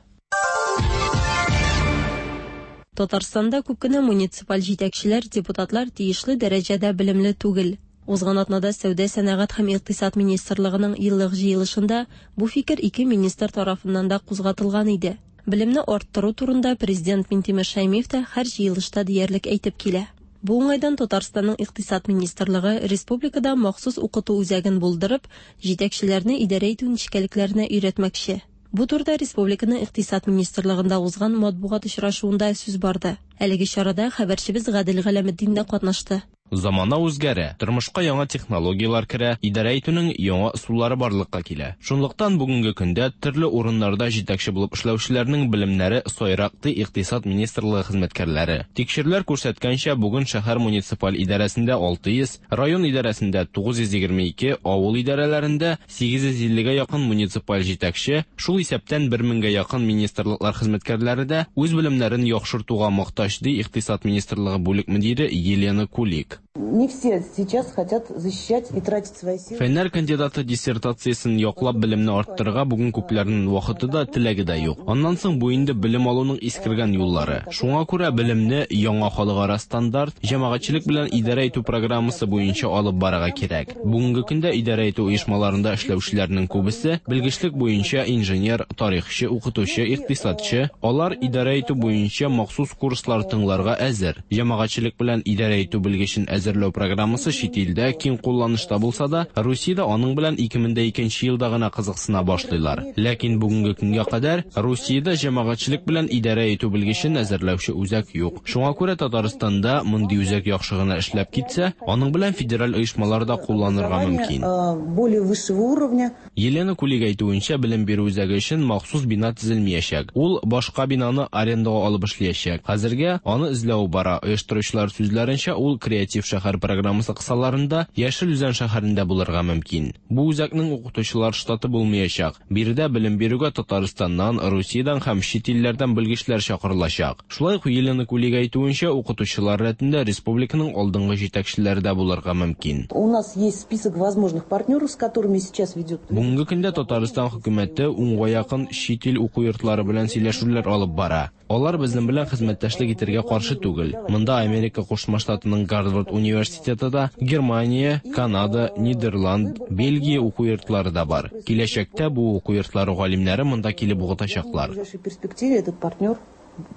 Татарстанда күп кенә муниципаль җитәкчеләр, депутатлар тиешле дәрәҗәдә белемле түгел. Узган атнада Сәүдә, сәнәгать һәм икътисад министрлыгының еллык җыелышында бу фикер ике министр тарафыннан да кузгатылган иде. Белемне арттыру турында президент Минтимер Шәймиев та һәр җыелышта диярлек әйтеп килә. Бу уңайдан Татарстанның икътисад министрлыгы республикада махсус укыту үзәген булдырып, җитәкчеләрне идарә итү нечкәлекләренә өйрәтмәкче. Бу турыда республиканың икътисад министрлыгында узган матбугат очрашуында сүз барды. Әлеге чарада хәбәрчебез Гадел Галәметдин дә катнашты. Замана үзгәрә, тормышка яңа технологияләр керә, идарә итүнең яңа ысуллары барлыкка килә. Шунлыктан бүгенге көндә төрле урыннарда җитәкче булып эшләүчеләрнең белемнәре сайрак, ди икътисад министрлыгы хезмәткәрләре. Тикшерүләр күрсәткәнчә, бүген шәһәр муниципаль идарәсендә алты йөз, район идарәсендә тугыз йөз егерме ике, авыл идарәләрендә сигез йөз иллегә якын муниципаль җитәкче, шул исәптән бер меңгә якын министрлыклар хезмәткәрләре дә үз белемнәрен яхшыртуга мохтаҗ, ди икътисад министрлыгы бүлек мөдире Елена Кулик. Не все сейчас хотят защищать и тратить свои силы. Фәннәр кандидаты диссертациясен яклап белемне арттырырга бүген күпләрнең вакыты да, теләге дә юк. Аннан соң бу инде белем алуның искергән юллары. Шуңа күрә белемне яңа халыкара стандарт, җәмәгатьчелек белән идарә итү программасы буенча алып барырга кирәк. Бүгенге көндә идарә итү оешмаларында эшләүчеләрнең күбесе белгечлек буенча инженер, тарихчы, укытучы, икътисадчы. Алар идарә итү буенча махсус курслар тыңларга әзер. Җәмәгатьчелек белән идарә итү белгечен әзер әзерләү программасы чит илдә киң кулланышта булса да, Русиядә аның белән ике мең дә икенче елда гына кызыксына башлыйлар. Ләкин бүгенге көнгә кадәр Русиядә җәмәгатьчелек белән идарә итү белгечен әзерләүче үзәк юк. Шуңа күрә Татарстанда мондый үзәк яхшы гына эшләп китсә, аның белән федераль оешмаларда кулланырга мөмкин. Более высшего уровня. Елена Кулик әйтүенчә, белем бирү үзәге өчен махсус бина төзелмәячәк. Ул башка бинаны арендага алып эшләячәк. Хәзергә аны эзләү бара. Оештыручылар сүзләренчә, ул креатив шәһәр программасы кысаларында Яшел Үзән шәһәрендә булырга мөмкин. Бу үзәкнең укытучылар штаты булмаячак. Биредә белем бирүгә Татарстаннан, Русиядән һәм чит илләрдән белгечләр чакырылачак. Шулай ук Елена Кулик әйтүенчә, укытучылар рәтендә республиканың алдынгы җитәкчеләре дә булырга мөмкин. У нас есть список возможных партнеров, с которыми сейчас ведет. Бүгенге көндә Татарстан хөкүмәте унга якын чит ил уку йортлары белән сөйләшүләр алып бара. Алар безнең белән хезмәттәшлек итәргә каршы түгел. Монда Америка Кушма Штатының Гарвард университеты да, Германия, Канада, Нидерланд, Бельгия уку йортлары да бар. Киләчәктә бу уку йортлары галимнәре монда килеп укытачаклар. В ближайшей перспективе этот партнер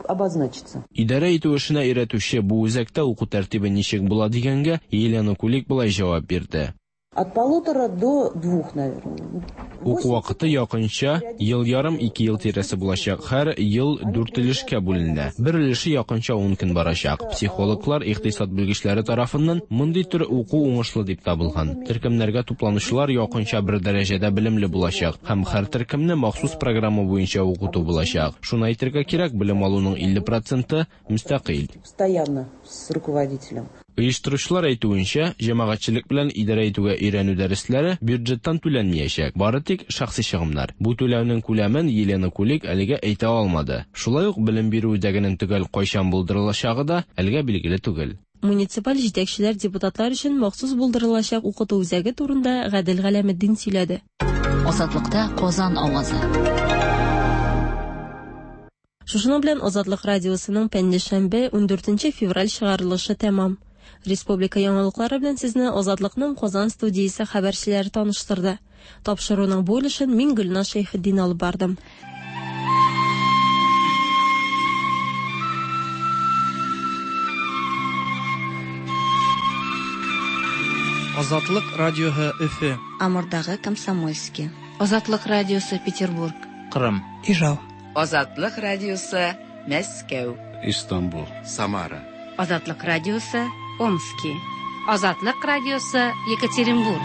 обозначится. Идарә итү эшенә өйрәтүче бу үзәктә уку тәртибе ничек була дигәнгә Елена Кулик болай җавап бирде. От полутора до двух, наверное. Уку вакыты якынча ел ярым ике ел тирәсе булачак. Һәр ел дүрт өлешкә бүленә. Бер өлеше якынча ун көн барачак. Психологлар, икътисад белгечләре тарафыннан мондый төр уку уңышлы дип табылган. Төркемнәргә тупланучылар якынча бер дәрәҗәдә белемле булачак һәм һәр төркемне махсус программа буенча укыту булачак. Шуны әйтергә кирәк, белем алуның илле проценты мөстәкыйль. Постоянно с руководителем. Оештыручылар әйтүенчә, җәмәгатьчелек белән идарә итүгә өйрәнү дәресләре бюджеттан түләнмәячәк, бары тик шәхси чыгымнар. Бу түләүнең күләмен Елена Кулик әлегә әйтә алмады. Шулай ук белем бирү үзәгенең төгәл кайчан булдырылачагы да әлегә билгеле түгел. Муниципаль җитәкчеләр депутатлар өчен махсус булдырылачак укыту үзәге турында Гадел Галәметдин сөйләде. Азатлыкта Казан авазы. Шушының белән Азатлык радиосының пәнҗешәмбе ундүртенче февраль чыгарылышы тәмам. Республика яңалыклары белән сезне Азатлыкның Казан студиясе хәбәрчеләре таныштырды. Тапшыруның бу өлешен мин Гөлназ Шәйхетдин алып бардым. Азатлык радиоһы Өфе. Амурдагы Комсомольский. Азатлык радиосы Петербург. Кырым. Ижау. Азатлык радиосы Мәскәү. Истанбул. Самара. Азатлык радиосы Омски. Азатлык радиосы Екатеринбург.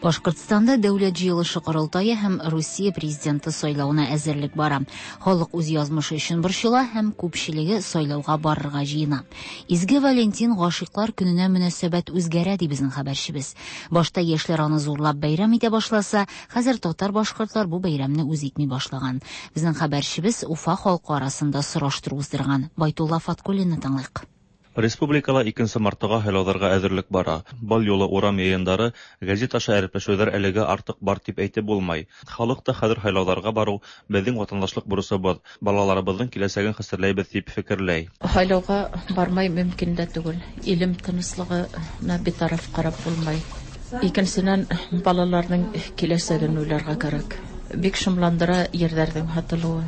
Башкортстанда дәүләт җыелышы корылтае һәм Русия президенты сайлавына әзерлек бара. Халык үз язмышы өчен борчыла һәм күпчелеге сайлауга барырга җыена. Изге Валентин гашыйклар көненә мөнәсәбәт үзгәрә, ди безнең хәбәрчебез. Башта яшьләр аны зурлап бәйрәм итә башласа, хәзер татар-башкортлар бу бәйрәмне үз итми башлаган. Безнең хәбәрчебез Уфа халкы арасында сораштыру уздырган. Байтулла Фаткуллинны тыңлыйк. Республикала икенсе мартыға һайлауҙарға әҙерлек бара. Был юлы урам йыйындары, гәзит аша әрепләшеүҙәр әлегә артыҡ бар тип әйтеп булмай. Халыҡ та хәҙер һайлауҙарға барыу беҙҙең ватандашлыҡ бурысыбыҙ, балаларыбыҙҙың киләсәген хәстәрләйбеҙ тип фекерләй. Һайлауға бармай мөмкин дә түгел. Илем тыныслығына битараф ҡарап булмай. Икенсенән, балаларҙың киләсәген уйларға кәрәк. Бик шомландыра ерҙәрҙең һатылыуы.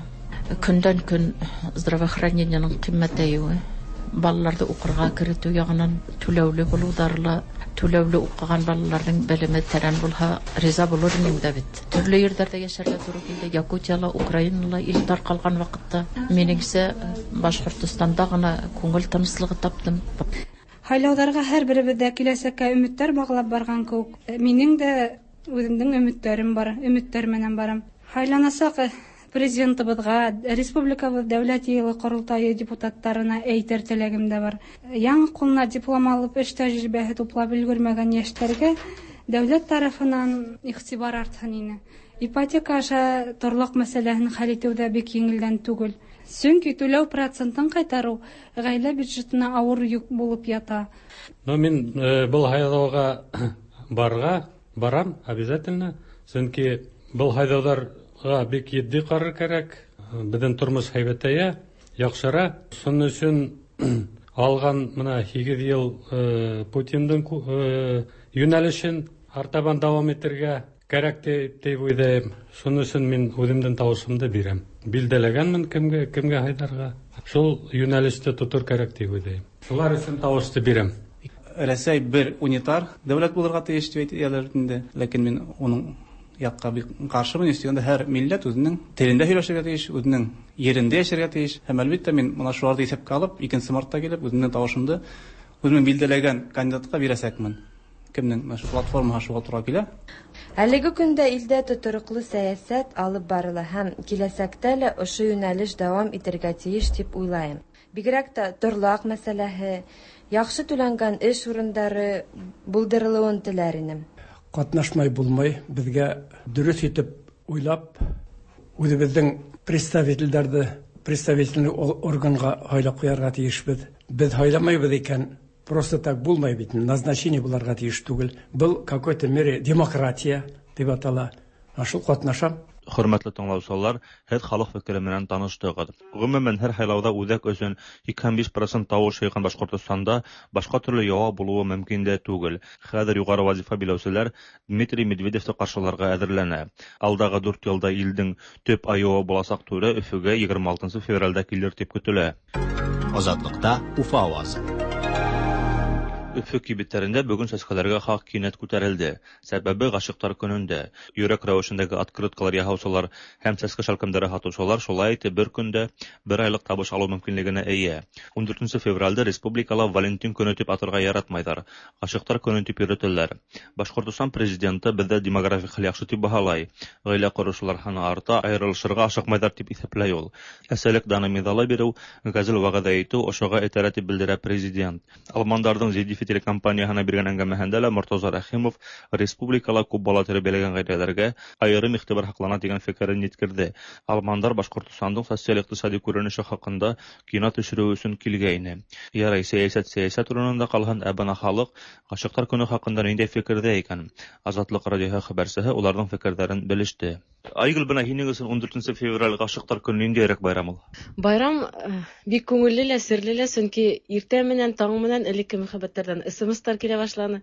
Көндән көн здравоохранениеның ҡиммәтәйеүе. Балаларҙы уҡырға керетеү яғынан түләүле булыуҙары ла, түләүле уҡыған балаларҙың белеме тәрән булһа, риза булыр инем дә бит. Төрлө ерҙәрҙә йәшәргә тура килде. Якутияла, Украинала ил тарҡалған ваҡытта. Минеңсә, Башҡортостанда ғына күңел тыныслығы таптым. Һайлауҙарға һәр беребеҙ ҙә киләсәккә өмөттәр бағлап барған кеүек. Минең дә үҙемдең өмөттәрем бар, өмөттәр менән барам. Һайланасаҡ президентыбыҙға, республикабыҙ дәүләт йыйылы ҡоролтайы депутаттарына әйтер теләгем дә бар. Яңы ҡулына диплом алып, эш тәжрибәһе туплап өлгөрмәгән йәштәргә дәүләт тарафынан иғтибар артһын ине. Ипотека аша торлаҡ мәсьәләһен хәл итеү ҙә бик еңелдән түгел. Сөнки түләү процентын ҡайтарыу ғаилә бюджетына ауыр йөк булып ята. Ну, мин был һайлауға барға барам обязательно, сөнки был һайлауҙар бик етди ҡарар кәрәк. Беҙҙең тормош һәйбәтәйә, яҡшыра. Шуның өсөн алған мына һигеҙ йыл Путиндың йүнәлешен артабан дауам итергә кәрәк тип уйлайым. Шуның өсөн мин үҙемдең тауышымды бирәм. Билдәләгәнмен кемгә, кемгә һайларға. Шул юнәлештә тотыр кәрәк дип уйлыйм. Шулар өчен тавышты бирәм. Рәсәй бер унитар дәүләт булырга тиеш дип әйтәләр инде. Ләкин мин уның якка бик каршымын. Өстәгәндә һәр милләт үзенең телендә сөйләшергә тиеш, үзенең ерендә яшәргә тиеш. Һәм әлбәттә мин моны шуларны исәпкә алып, икенче мартта килеп, үземнең тавышымны үземнең билгеләгән кандидатка бирәсәкмен. Кемнең менә шу платформага шуга тура килә. Әлеге көндә илдә тотрыклы сәясәт алып барыла һәм киләсәктә лә ошо юнәлеш дәвам итергә тиеш дип уйлайым. Бигрәк тә торлак мәсьәләһе, яхшы түләнгән эш урындары булдырылуын теләр инем. Катнашмай булмай, безгә дөрес итеп уйлап, үзебезнең представительләрне представительный органга һайлап куярга тиешбез. Без һайламайбыз икән, просто так булмай бит, назначение буларга тиеш түгел. Был какой-то мере демократия дип атала. Шул катнашам. Хөрмәтле тыңлаучылар, һеҙ халыҡ фекере менән таныштығыҙ. Ғөмүмән, һәр һайлауҙа үҙәк өсөн һикһән биш процент тауыш йыйған Башҡортостанда башҡа төрлө яуап булыуы мөмкин дә түгел. Хәҙер юғары вазифа биләүселәр Дмитрий Медведевте ҡаршыларға әҙерләнә. Алдағы дүрт йылда илдең төп айыуы буласаҡ түрә Өфөгә егерме алтынсы февралдә килер тип көтөлә. Азатлыҡта Уфа ауазы. Өфө кибеттәрендә бөгөн сәскәләргә хаҡ кинәт күтәрелде. Сәбәбе ғашиҡтар көнөндә. Йөрәк рәүешендәге открыткалар яһаусылар һәм сәскә шәлкемдәре һатыусылар шулай итеп бер көндә бер айлыҡ табыш алыу мөмкинлегенә эйә. Ун дүртенсе февралдә республикала Валентин көнө тип атарға яратмайҙар. Ғашиҡтар көнө тип йөрөтәләр. Башҡортостан президенты беҙҙә демографик хәл яҡшы тип баһалай. Ғаилә ҡороусылар һаны арта, айырылышырға ашыҡмайҙар тип иҫәпләй ул. Әсәлек даны миҙалы биреү, ғәзел вәғәҙә итеү ошоға этәрә тип белдерә президент. Алмандарҙың Зедифи телекомпанияһына биргән әңгәмәһендә лә Мортаза Рәхимов республикала күп бала тәрбиәләгән ғаиләләргә айырым иғтибар һаҡлана тигән фекерен еткерҙе. Алмандар Башҡортостандың социаль-иҡтисади күренеше хаҡында кино төшөрөү өсөн килгәйне. Ярай, сәйәсәт сәйәсәт урынында ҡалһын, ә бына халыҡ ғашиҡтар көнө хаҡында ниндәй фекерҙә икән? Азатлыҡ радиоһы хәбәрсеһе уларҙың фекерҙәрен белеште. Айгөл, бына һинең өсөн ун дүртенсе февраль ғашиҡтар көнө ниндәйерәк байрам ул? Байрам бик күңелле лә, серле лә, сөнки иртә менән, таң менән элекке мөхәббәттәрҙән СМСтар килә башланы.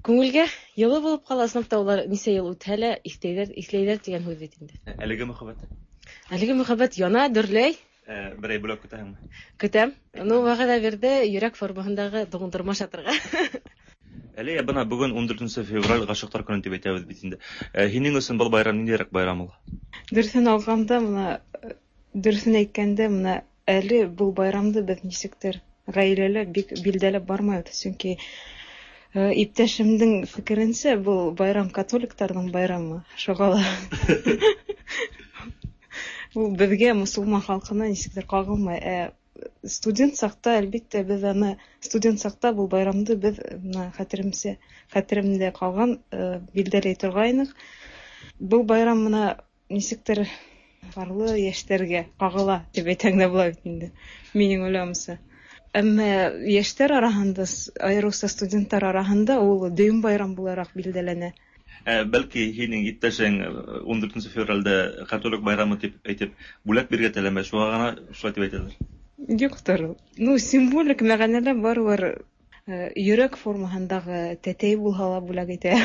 Күңелгә йылы булып ҡала, ысынлап та улар нисә йыл үтһә лә иҫләйҙәр, иҫләйҙәр тигән һүҙ бит инде. Әлеге мөхәббәт? Әлеге мөхәббәт яна, дөрләй. Берәй бүләк көтәһеңме? Көтәм. Ну, вәғәҙә бирҙе йөрәк формаһындағы туңдырма ашатырға. Әле бына бөгөн ун дүртенсе февраль ғашиҡтар көнө тип әйтәбеҙ бит инде. Һинең өсөн был байрам ниндәйерәк байрам ул? Дөрөҫөн алғанда, бына дөрөҫөн әйткәндә, бына әле был байрамды беҙ нисектер ғаиләлә бик билдәләп бармайбыҙ, сөнки иптәшемдең фекеренсә, был байрам католиктарҙың байрамы, шуға ла ул беҙгә, мосолман халҡына нисектер ҡағылмай. Ә студент саҡта, әлбиттә, беҙ аны студент саҡта был байрамды беҙ бына хәтеремсә, хәтеремдә ҡалған билдәләй торғайныҡ. Был байрам бына нисектер парлы йәштәргә ҡағыла тип әйтһәң дә була бит инде, минең уйлауымса. Әммә йәштәр араһында, айырыуса студенттар араһында ул дөйөм байрам булараҡ билдәләнә. Ә, бәлки һинең иптәшең ун дүртенсе февралдә католик байрамы тип әйтеп бүләк бирергә теләмәй, шуға ғына шулай тип әйтәләр. Юҡтыр. Ну, символик мәғәнәлә барыбер йөрәк формаһындағы тәтәй булһа ла бүләк итә.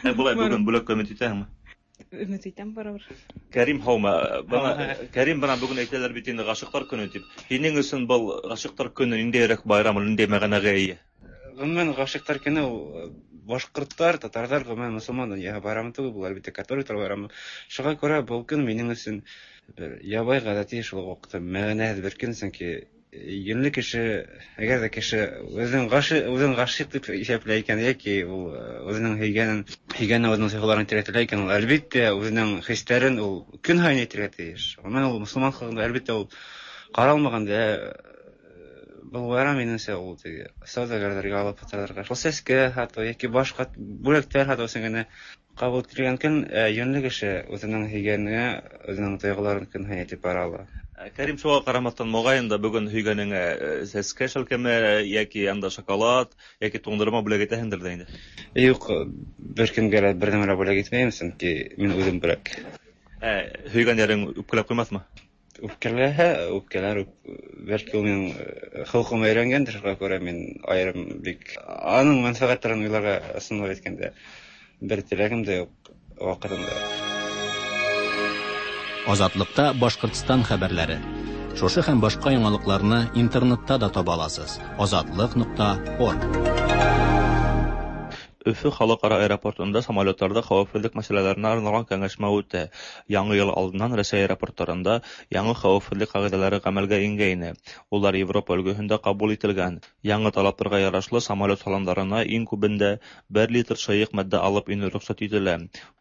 Ә былай бөгөн бүләккә өмөт итәһеңме? Өмөт итәм барыбер. Кәрим, һаумы? Бына Кәрим, бына бөгөн әйтәләр бит инде ғашиҡтар көнө тип. Һинең өсөн был ғашиҡтар көнө ниндәйерәк байрам, ниндәй мәғәнәгә эйә? Ғөмүмән, ғашиҡтар көнө ул башҡорттар, татарҙар, ғөмүмән мосолман донъяһы байрамы түгел, был әлбиттә католиктар байрамы. Шуға күрә был көн минең өсөн бер ябай ғәҙәти, шул уҡ ваҡытта мәғәнәһеҙ бер көн, сөнки йүнле кеше, әгәр ҙә кеше үҙен ғашиҡ, үҙен ғашиҡ тип иҫәпләй икән, йәки ул үҙенең һөйгәнен, һөйгәнен үҙенең сифаларын әйтергә теләй икән, ул әлбиттә үҙенең хистәрен ул көн һайын әйтергә тейеш. Ғөмүмән, ул мосолман халҡында әлбиттә ул ҡаралмаған да. Был байрам минеңсә ул теге сауҙагәрҙәргә, алып һаталарға, шул сәскә һатыу йәки башҡа бүләктәр һатыу өсөн генә ҡабул ителгән көн. Йүнле кеше үҙенең һөйгәненә үҙенең тойғоларын көн һайын әйтеп бара ала. Кәрим, шуға ҡарамаҫтан, моғайын да бөгөн һөйгәнеңә сәскә шәлкеме йәки анда шоколад йәки туңдырма бүләк итәһеңдер ҙә инде? Юҡ, бер кемгә лә бер нәмә лә бүләк итмәйем, сөнки мин үҙем бүләк. Ә һөйгән йәрең үпкәләп ҡуймаҫмы? Үпкәләһә, үпкәләр, бәлки ул минең холҡома өйрәнгәндер, шуға күрә мин айырым бик аның мәнфәғәттәрен уйларға, ысынлап әйткәндә, бер теләгем дә юҡ ваҡытында. Азатлыкта Башҡортостан хәбәрләре. Шушы һәм башка яңалыкларны интернетта да таба аласыз. Азатлык нокта орг. Өфө халыкара аэропортында самолетларда хәвефһеҙлек мәсьәләләренә арналған кәңәшмә үтә. Яңы йыл алдынан Рәсәй аэропорттарында яңы хәвефһеҙлек ҡағиҙәләре ғәмәлгә ингәйне. Улар Европа өлгөһөндә ҡабул ителгән. Яңы талаптарға ярашлы самолет салондарына иң күбендә бер литр шыйыҡ матдә алып инеү рөхсәт ителә.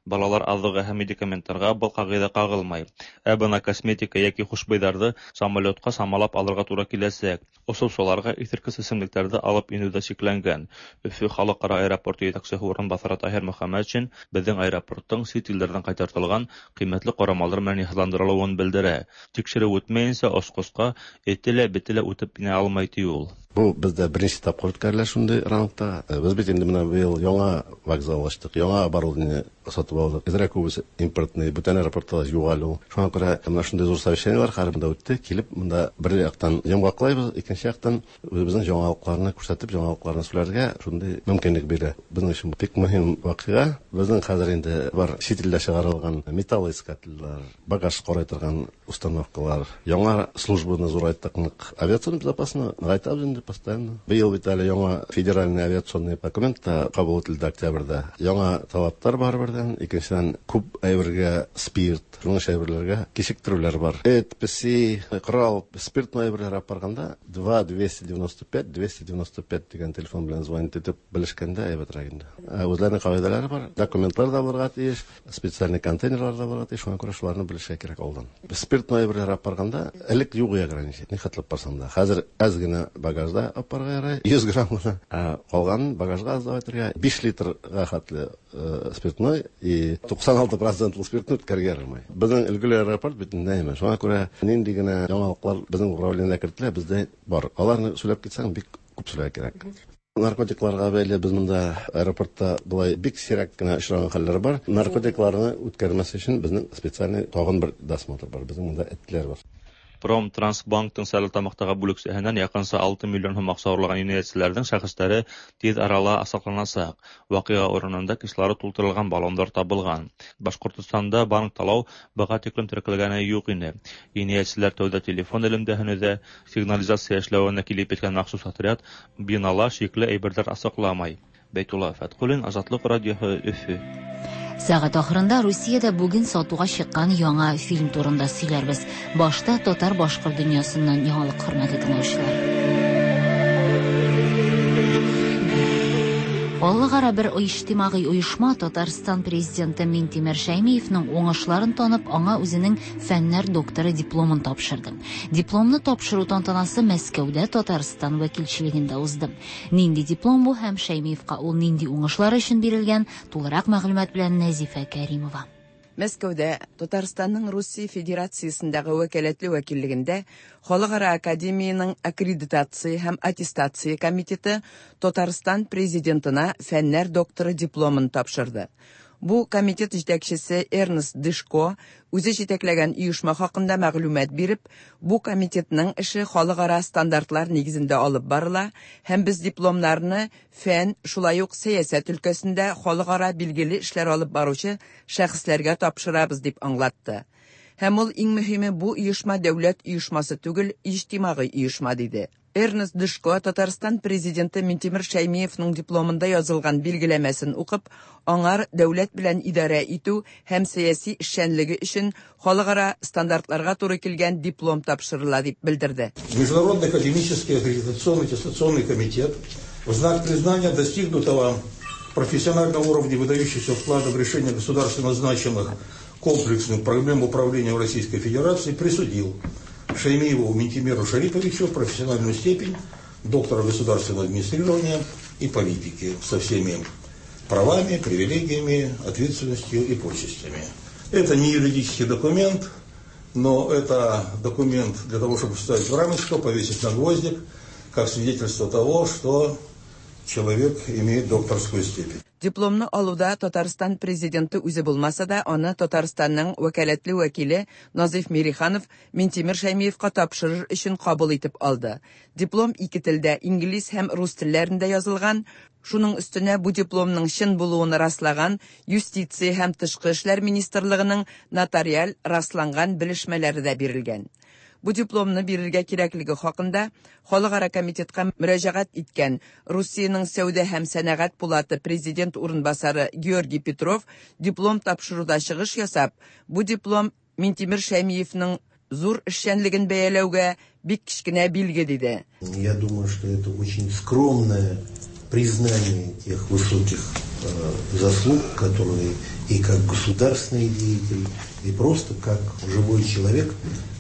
Балалар аҙығы һәм медикаменттарға был ҡағиҙә ҡағылмай. Ә бына косметика йәки хушбыйҙарҙы самолетҡа самалап алырға тура киләсәк. Осоусыларға иҫерткес эсемлектәрҙе алып инеү ҙә сикләнгән. Өфө халыҡ-ара аэропорты етәксеһе урынбаҫары Таһир Мөхәммәтшин беҙҙең аэропорттың сит илдәрҙән ҡайтартылған ҡиммәтле ҡорамалдар менән йыһазландырылыуын белдерә. Тикшереү үтмәйенсә осҡосҡа эте лә, бете лә үтеп инә алмай, ти ул. Бу бездә беренче тапкыр үткәрелә шундый рангта. Без бит инде менә быел яңа вокзал ачтык, яңа оборудование сатып алдык. Әзрәк күбесе импортный, бүтән аэропортта юк әле ул. Шуңа күрә менә шундый зур совещаниелар һәр монда үтте. Килеп монда бер яктан йомгаклайбыз, икенче яктан үзебезнең яңалыкларны күрсәтеп, яңалыкларны сөйләргә шундый мөмкинлек бирә. Безнең өчен бик мөһим вакыйга. Безнең хәзер инде бар чит илдә чыгарылган металлоискательләр, багаж карый торган установкалар, яңа службаны зурайттык, нык авиационный безопасность ныгайтабыз инде постоянно. Быел бит әле яңа федеральный авиационный документ та кабул ителде октябрьдә. Яңа талаптар бар бердән, икенчедән күп әйбергә спирт, шуның әйберләргә кичектерүләр бар. Эт, песи, корал, спиртной әйберләр алып барганда два двести девяносто пять двести девяносто пять дигән телефон белән звонить итеп белешкәндә әйбәтрәк инде. Үзләренең кагыйдәләре бар, документлар да булырга тиеш, специальный контейнерлар да булырга тиеш, шуңа күрә шуларны белешергә кирәк алдан. Спиртной әйберләр алып барганда элек юк ограничение, ни хәтле барсаң да. Хәзер әз генә багажда алып барырга ярай, йөз грамм гына. Ә калганын багажга аз да әйтергә, биш литрга хәтле спиртной и туксан алты процентлы спиртны үткәрергә ярамый. Безнең өлгеле аэропорт бөтенләй әйме. Шуңа күрә нинди генә яңалыклар безнең управлениедә кертелә, бездә бар. Аларны сөйләп китсәң, бик күп сөйләргә кирәк. Наркотикларга бәйле без монда аэропортта болай бик сирәк кенә очраган хәлләр бар. Наркотикларны үткәрмәс өчен безнең специальный тагын бер досмотр бар. Безнең монда этләр бар. Промтрансбанктың Стәрлетамаҡтағы бүлексәһенән яҡынса алты миллион һум аҡса урлаған енәйәтселәрҙең шәхестәре тиҙ арала асыҡланасаҡ. Ваҡиға урынында кислород тултырылған баллондар табылған. Башҡортостанда банк талау быға тиклем теркәлгәне юҡ ине. Енәйәтселәр тәүҙә телефон элемтәһен өҙә, сигнализация эшләүенә килеп еткән махсус отряд бинала шикле әйберҙәр асыҡламай. Бәйтулла Фәтҡуллин, Азатлыҡ радиоһы, Өфө. Сәгать ахырында Русиядә бүген сатуга чыккан яңа фильм турында сөйләрбез. Башта татар-башкорт дөньясыннан яңалык, хөрмәтле тыңлаучылар. Аллыгара бер иҗтимагый оешма Татарстан президенты Минтимер Шәймиевның уңышларын танып, аңа үзенең фәннәр докторы дипломын тапшырды. Дипломны тапшыру тантанасы Мәскәүдә Татарстан вәкилчелегендә узды. Нинди диплом бу һәм Шәймиевка ул нинди уңышлар өчен бирелгән, тулырак мәгълүмат белән Нәзифә Кәримова. Мәскәүдә Татарстанның Русия Федерациясендәге вәкаләтле вәкиллегендә Халыкара академияның аккредитация һәм аттестация комитеты Татарстан президентына фәннәр докторы дипломын тапшырды. Бу комитет җитәкчесе Эрнест Дышко үзе җитәкләгән оешма хакында мәгълүмат биреп, бу комитетның эше халыкара стандартлар нигезендә алып барыла һәм без дипломнарны фән, шулай ук сәясәт өлкәсендә халыкара билгеле эшләр алып баручы шәхесләргә тапшырабыз дип аңлатты. Һәм ул иң мөһиме бу оешма дәүләт оешмасы түгел, иҗтимагый оешма диде. Эрнест Дышко Татарстан президенты Минтимер Шәймиевның дипломында язылган билгеләмәсен укып, аңар дәүләт белән идарә итү һәм сәяси эшчәнлеге өчен халыкара стандартларга туры килгән диплом тапшырыла дип белдерде. Международный академический аккредитационный аттестационный комитет в знак признания достигнутого профессионального уровня выдающихся вклада в решение государственно значимых комплексных проблем управления в Российской Федерации присудил Шаймиеву Минтимеру Шариповичу профессиональную степень доктора государственного администрирования и политики со всеми правами, привилегиями, ответственностью и почестями. Это не юридический документ, но это документ для того, чтобы вставить в рамочку, повесить на гвоздик, как свидетельство того, что человек имеет докторскую степень. Дипломны алуда Татарстан президенты үзе булмаса да, аны Татарстанның вәкаләтле вәкиле Назиф Мириханов Минтимер Шәймиевка тапшырыр өчен кабул итеп алды. Диплом ике телдә, инглиз һәм рус телләрендә язылган. Шуның өстенә бу дипломның чын булуын раслаган Юстиция һәм Тышкы эшләр министрлыгының нотариаль расланган белешмәләре дә бирелгән. Бу дипломны бирергә кирәклеге хакында Халыкара комитетка мөрәҗәгать иткән Русиянең сәүдә һәм сәнәгать пулаты президент урынбасары Георгий Петров диплом тапшыруда чыгыш ясап, бу диплом Минтимер Шәймиевның зур эшчәнлеген бәяләүгә бик кечкенә билге диде. Я думаю, что это очень скромное признание тех высоких э, заслуг, которые и как государственный деятель, и просто как живой человек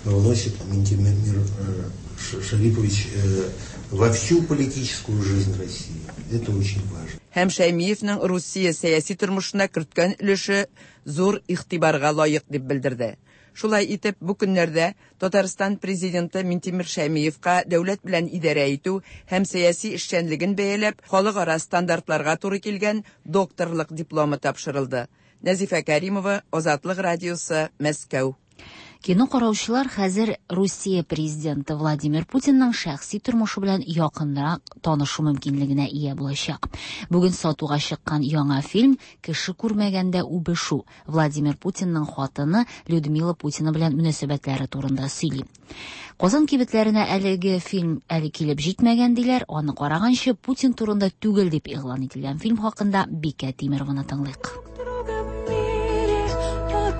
вносит Минтимер э, Шарипович э, во всю политическую жизнь России. Это очень важно. Һәм Шәймиевның Русия сәяси тормышына керткән өлеше зур игътибарга лаек дип белдерде. Шулай итеп, бу көннәрдә Татарстан президенты Минтимер Шәймиевка дәүләт белән идарә итү һәм сәяси эшчәнлеген бәяләп, халыкара стандартларга туры килгән докторлык дипломы тапшырылды. Нәзифә Кәримова, Азатлык радиосы, Мәскәү. Кино караучылар хәзер Русия президенты Владимир Путинның шәхси тормышы белән якынрак танышу мөмкинлегенә ия булачак. Бүген сатуга чыккан яңа фильм «Кеше күрмәгәндә үбешү» Владимир Путинның хатыны Людмила Путина белән мөнәсәбәтләре турында сөйли. Казан кибетләренә әлеге фильм әле килеп җитмәгән диләр, аны караганчы Путин турында түгел дип игълан ителгән фильм хакында Бикә Тимерованы тыңлыйк.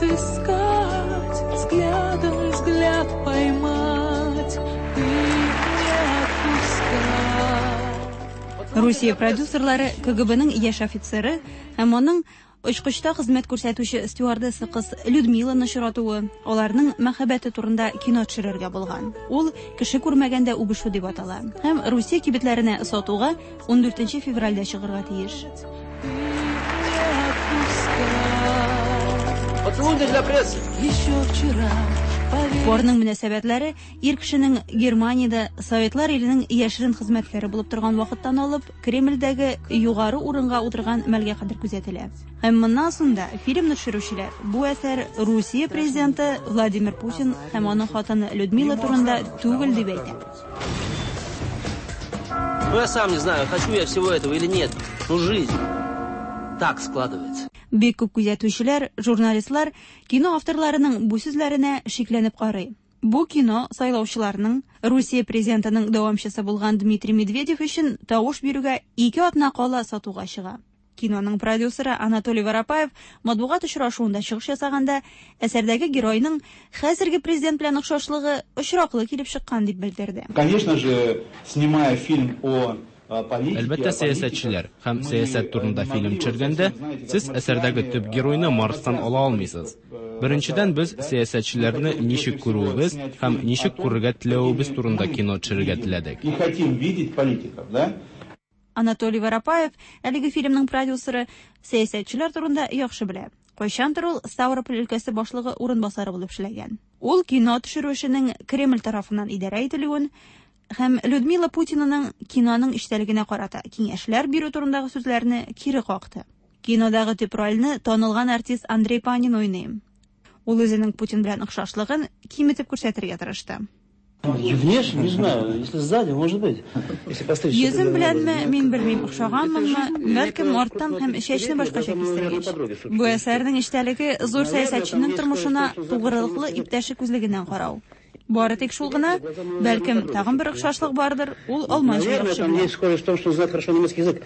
Отыскать, взглядом взгляд поймать и не отпускать. Русия продюсерлары ка гэ беның яшь офицеры һәм аның очкычта хезмәт күрсәтүче стюардесса кыз Людмиланы очратуы, аларның мәхәббәте турында кино төшерергә булган. Ул «Кеше күрмәгәндә үбешү» дип атала һәм Русия кибетләренә сатуга ундүртенче февральдә чыгарга тиеш. Поцелуй для прессы. Еще вчера. Парның мөнәсәбәтләре ир кешенең Германиядә Советлар иленең яшерен хезмәткәре булып торган вакыттан алып Кремльдәге югары урынга утырган мәлгә кадәр күзәтелә. Һәм моннан соң да фильмны төшерүчеләр бу әсәр Русия президенты Владимир Путин һәм аның хатыны Людмила турында түгел дип әйтә. Ну, я сам не знаю, хочу я всего этого или нет, но жизнь так складывается. Бик күп күзәтүчеләр, журналистлар кино авторларының бу сүзләренә шикләнеп карый. Бу кино сайлаучыларның Русия президентының дәвамчысы булган Дмитрий Медведев өчен тавыш бирүгә ике атна кала сатуга чыга. Киноның продюсеры Анатолий Воропаев матбугат очрашуында чыгыш ясаганда әсәрдәге геройның хәзерге президент белән охшашлыгы очраклы килеп чыккан дип белдерде. Конечно же, снимая фильм о Әлбәттә, сәясәтчеләр һәм сәясәт турында фильм төшергәндә, сез әсәрдәге төп геройны Марстан ала алмыйсыз. Беренчедән, без сәясәтчеләрне ничек күрүебез һәм ничек күрергә теләвебез турында кино төшерергә теләдек. И хотим видеть политиков, да? Анатолий Воропаев, әлеге фильмның продюсеры, сәясәтчеләр турында яхшы белә. Кайчандыр ул Ставрополь өлкәсе башлыгы урынбасары булып эшләгән. Ул кино төшерү эшенең Кремль тарафыннан идарә ителүен һәм Людмила Путинаның киноның эчтәлегенә карата киңәшләр бирү турындагы сүзләрне кире какты. Кинодагы төп рольне танылган артист Андрей Панин уйный. Ул үзенең Путин белән охшашлыгын киметеп күрсәтергә тырышты. Внешне, не знаю, если сзади, может быть. Если постричь. Йөзем беләнме, мин белмим, охшаганмынмы, бәлкем арттан һәм чәчне башкача кистергәч. Бу әсәрнең эчтәлеге зур сәясәтченең тормышына тугрылыклы иптәше күзлегеннән карау. Бары тик шул гына, бәлкем тагын бер охшашлык бардыр, ул алманча яхшы Там белә. есть схожесть в том, что знает хорошо немецкий язык.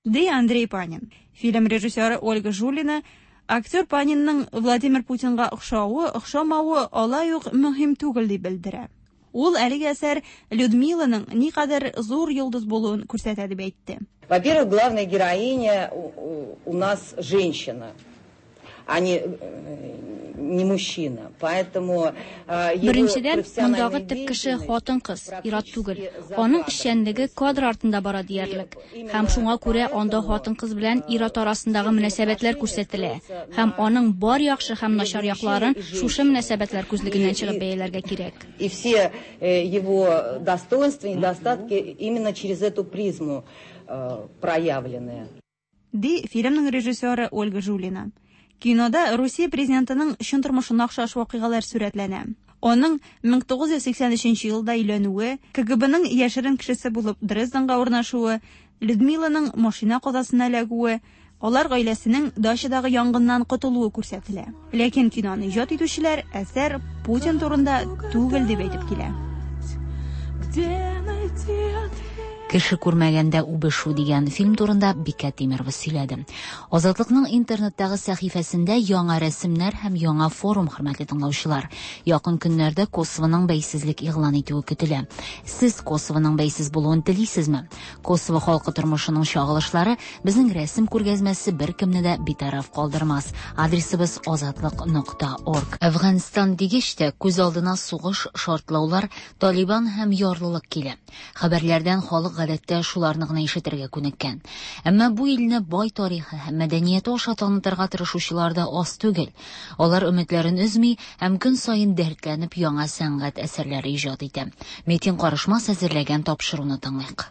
Ди Андрей Панин. Фильм режиссеры Ольга Жулина актер Панинның Владимир Путинга охшавы, охшамавы алай ук мөһим түгел дип белдерә. Ул әлеге әсәр Людмиланың никадәр зур йолдыз булуын күрсәтә дип әйтте. Во-первых, главная героиня у, у- у нас женщина, а не, э, не мужчина. Поэтому э, его Беренчедән, профессиональная мондагы төп кеше хатын-кыз, ир-ат түгел. Аның эшчәнлеге кадр артында бара диярлек. Һәм шуңа күрә анда хатын-кыз белән ир-ат арасындагы мөнәсәбәтләр күрсәтелә. Һәм аның бар яхшы һәм начар якларын шушы мөнәсәбәтләр күзлегеннән чыгып бәяләргә кирәк. И все э, его достоинства, недостатки именно через эту призму э, проявлены. Ди фильмның режиссеры Ольга Жулина. Кинода Русия президентының чын тормышына охшаш вакыйгалар сурәтләнә. Аның мең тугыз йөз сиксән өченче елда өйләнүе, ка гэ беның яшерен кешесе булып Дрезденга урнашуы, Людмиланың машина казасына эләгүе, алар гаиләсенең дачадагы янгыннан котылуы күрсәтелә. Ләкин киноны иҗат итүчеләр әсәр Путин турында түгел дип әйтеп килә. Кеше күрмәгәндә үбешү дигән фильм турында Бикә Тимерова сөйләде. Азатлыкның интернеттагы сәхифәсендә яңа рәсемнәр һәм яңа форум, хөрмәтле тыңлаучылар. Якын көннәрдә Косовоның бәйсезлек игълан итүе көтелә. Сез Косовоның бәйсез булуын телисезме? Косово халкы тормышының чагылышлары безнең рәсем күргәзмәсе беркемне дә битараф калдырмас. Адресыбыз азатлык нокта орг. Әфганстан дигәч тә күз алдына сугыш, шартлаулар, Талибан һәм ярлылык килә. Хәбәрләрдән халык гадәттә шуларны гына ишетергә күнеккән. Әмма бу илне бай тарихы һәм мәдәнияте аша танытырга тырышучылар да аз түгел. Алар өметләрен өзми һәм көн саен дәртләнеп яңа сәнгать әсәрләре иҗат итә. Метин Карышмас әзерләгән тапшыруны тыңлыйк.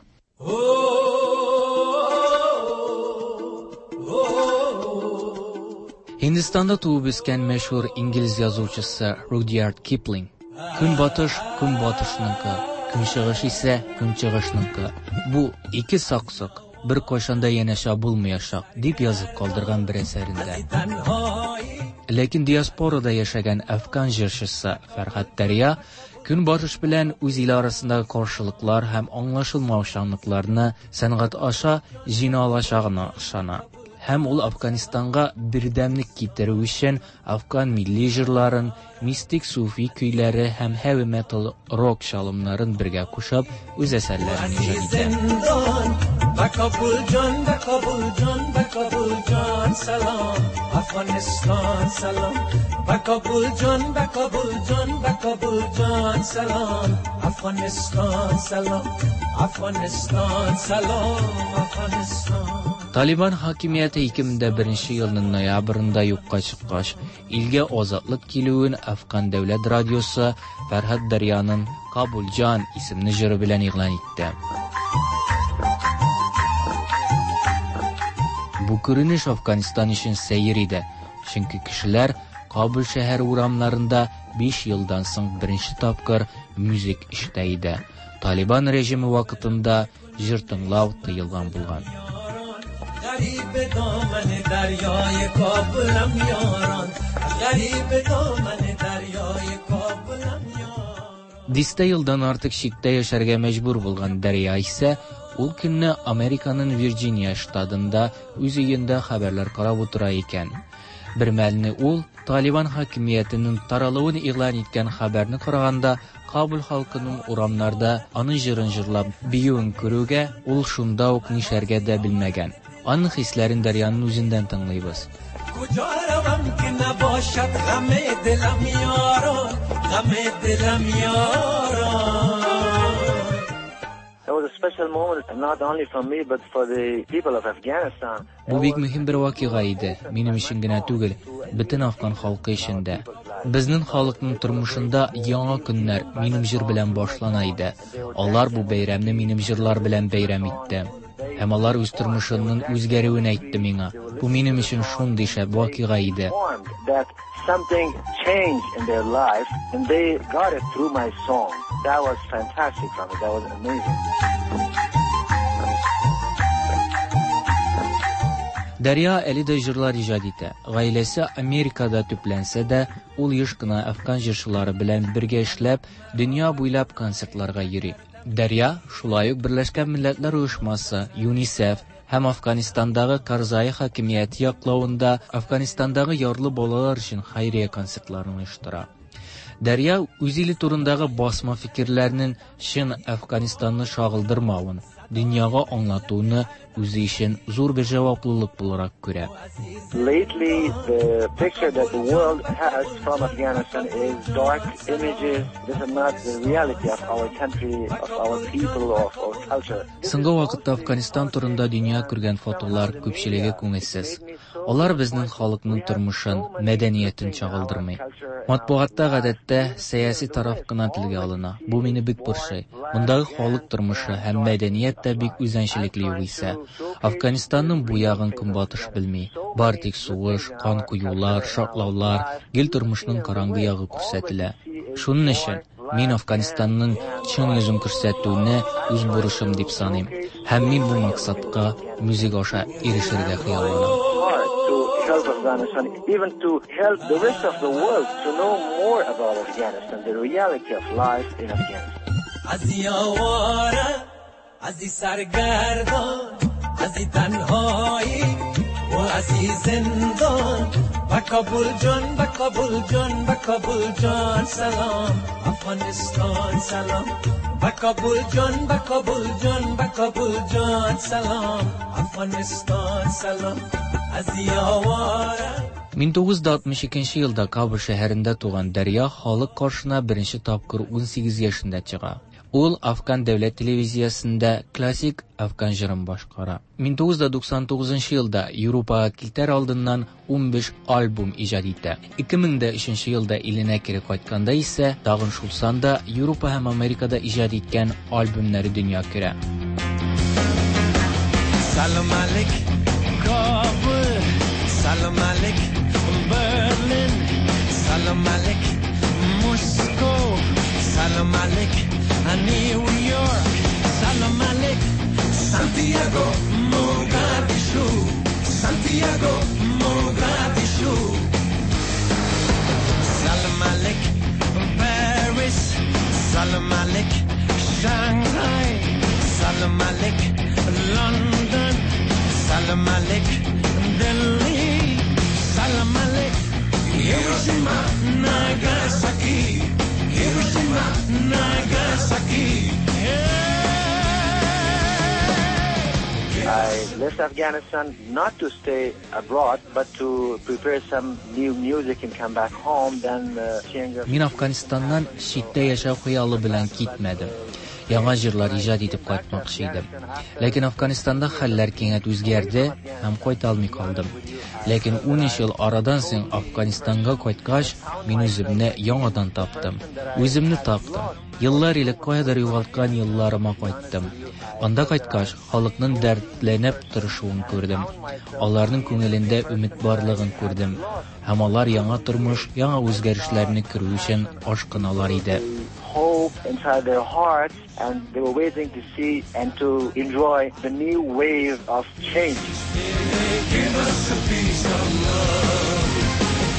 Һиндстанда туып үскән мәшһүр инглиз язучысы Rudyard Kipling "Көнбатыш көнбатышныкы, көнчыгыш исә көнчыгышныкы. Бу ике саксык бер кайчан да янәшә булмаячак" дип язып калдырган бер әсәрендә. Ләкин диаспорада яшәгән афган җырчысы Фәрһад Дәрья көнбатыш белән үз иле арасындагы каршылыклар һәм аңлашылмаучанлыкларны сәнгать аша җиңә алачагына ышана. Һәм ул Афганистанга бердәмлек китерү өчен афган милли җырларын, мистик суфи көйләре һәм heavy metal рок чалымнарын бергә кушып үз әсәрләрен иҗат итә. Талибан хакимияте ике мең дә беренче елның ноябрендә юкка чыккач, илгә азатлык килүен Афган дәүләт радиосы Фәрһад Дәрьяның "Кабулҗан" исемле җыры белән игълан итте. Бу күренеш Афганистан өчен сәер иде, чөнки кешеләр Кабул шәһәре урамнарында биш елдан соң беренче тапкыр музыка ишетә иде. Талибан режимы вакытында җыр тыңлау тыелган булган. Дистә елдан артык читтә яшәргә мәҗбүр булган Дәрья исә ул көнне Американың Вирджиния штатында үз өендә хәбәрләр карап утыра икән. Бер мәлне ул Талибан хакимиятенең таралуын игълан иткән хәбәрне караганда Кабул халкының урамнарда аның җырын җырлап биюен күрүгә ул шунда ук нишләргә дә белмәгән. Аның хисләрен Дәрьяның үзеннән тыңлыйбыз. Бу бик мөһим бер вакыйга иде, минем өчен генә түгел, бөтен афган халкы өчен дә. Безнең халыкның тормышында яңа көннәр минем җыр белән башлана иде. Алар бу бәйрәмне минем җырлар белән бәйрәм итте. Һәм алар үз тормышының үзгәрүен әйтте миңа. Бу минем өчен шундый шәп вакыйга иде. Something changed in their life, and they got it through my song. That was fantastic from it. That was amazing. Дәрья әле дә җырлар иҗат итә. Гаиләсе Америкада төпләнсә дә, ул еш кына афган җырчылары белән бергә эшләп, дөнья буйлап концертларга йөри. Дәрья шулай ук Берләшкән Милләтләр Оешмасы, ЮНИСЕФ һәм Афганистандагы Карзай хакимияте яклавында Афганистандагы ярлы балалар өчен хәйрия концертларын оештыра. Дәрья үз иле турындагы басма фикерләрнең чын Афганистанны чагылдырмавын, дөньяга аңлатуны үзе өчен зур бер җаваплылык буларак күрә. Lately, the picture that the world has from Afghanistan is dark images. This is not the reality of our country, of our people, of our culture. Соңгы вакытта Афганистан турында дөнья күргән фотолар күпчелеге күңелсез. Алар безнең халыкның тормышын, мәдәниятен чагылдырмый. Матбугатта гадәттә сәяси тараф кына телгә алына. Бу мине бик борчый. Мондагы халык тормышы һәм мәдәният тә бик үзенчәлекле югыйсә. Афганистанның бу ягын көнбатыш белми. Бар тик сугыш, кан коюлар, шартлаулар, гел тормышның караңгы ягы күрсәтелә. Шуның өчен мин Афганистанның чын йөзен күрсәтүне үз бурычым дип саныйм. Һәм мин бу максатка музыка аша ирешергә хыялланам. help Afghanistan, even to help the rest of the world to know more about Afghanistan, the reality of life in Afghanistan. мең тугыз йөз алтмыш икенче елда Кабул шәһәрендә туган Дәрья халык каршына беренче тапкыр унсигез яшендә чыга. Ул Афган дәүләт телевизиясендә классик афган җырын башкара. мең тугыз йөз туксан тугызынчы елда Европага китәр алдыннан унбиш альбом иҗат итә. ике мең дә өченче елда иленә кире кайтканда исә тагын шул санда Европа һәм Америкада иҗат иткән альбомнары дөнья күрә. Салам алейк, Кабул, салам алейк, Берлин, салам алейк, Москва, салам алейк, New York, salam alek, Santiago, Mogadishu, Santiago, Mogadishu. Salam alek, Paris, salam alek, Shanghai, salam alek, London, salam alek, Delhi, salam alek, Hiroshima, Nagasaki. Hiroshima, Nagasaki. I left Afghanistan not to stay abroad, but to prepare some new music and come back home. Then uh, change of... Мин Афганистаннан читтә яшәү хыялы белән китмәдем. Яңа җырлар иҗат итеп кайтмакчы идем. Ләкин Афганистанда хәлләр кинәт үзгәрде һәм кайта алмый калдым. Ләкин унөч ел арадан соң Афганистанга кайткач, мин үземне яңадан таптым. Үземне таптым. Еллар элек каядыр югалткан елларыма кайттым. Анда кайткач, халыкның дәртләнеп тырышуын күрдем. Аларның күңелендә өмет барлыгын күрдем. Һәм алар яңа тормыш, яңа үзгәрешләрне күрү өчен ашкыналар иде. Hope inside their hearts, and they were waiting to see and to enjoy the new wave of change. Give us a piece of love.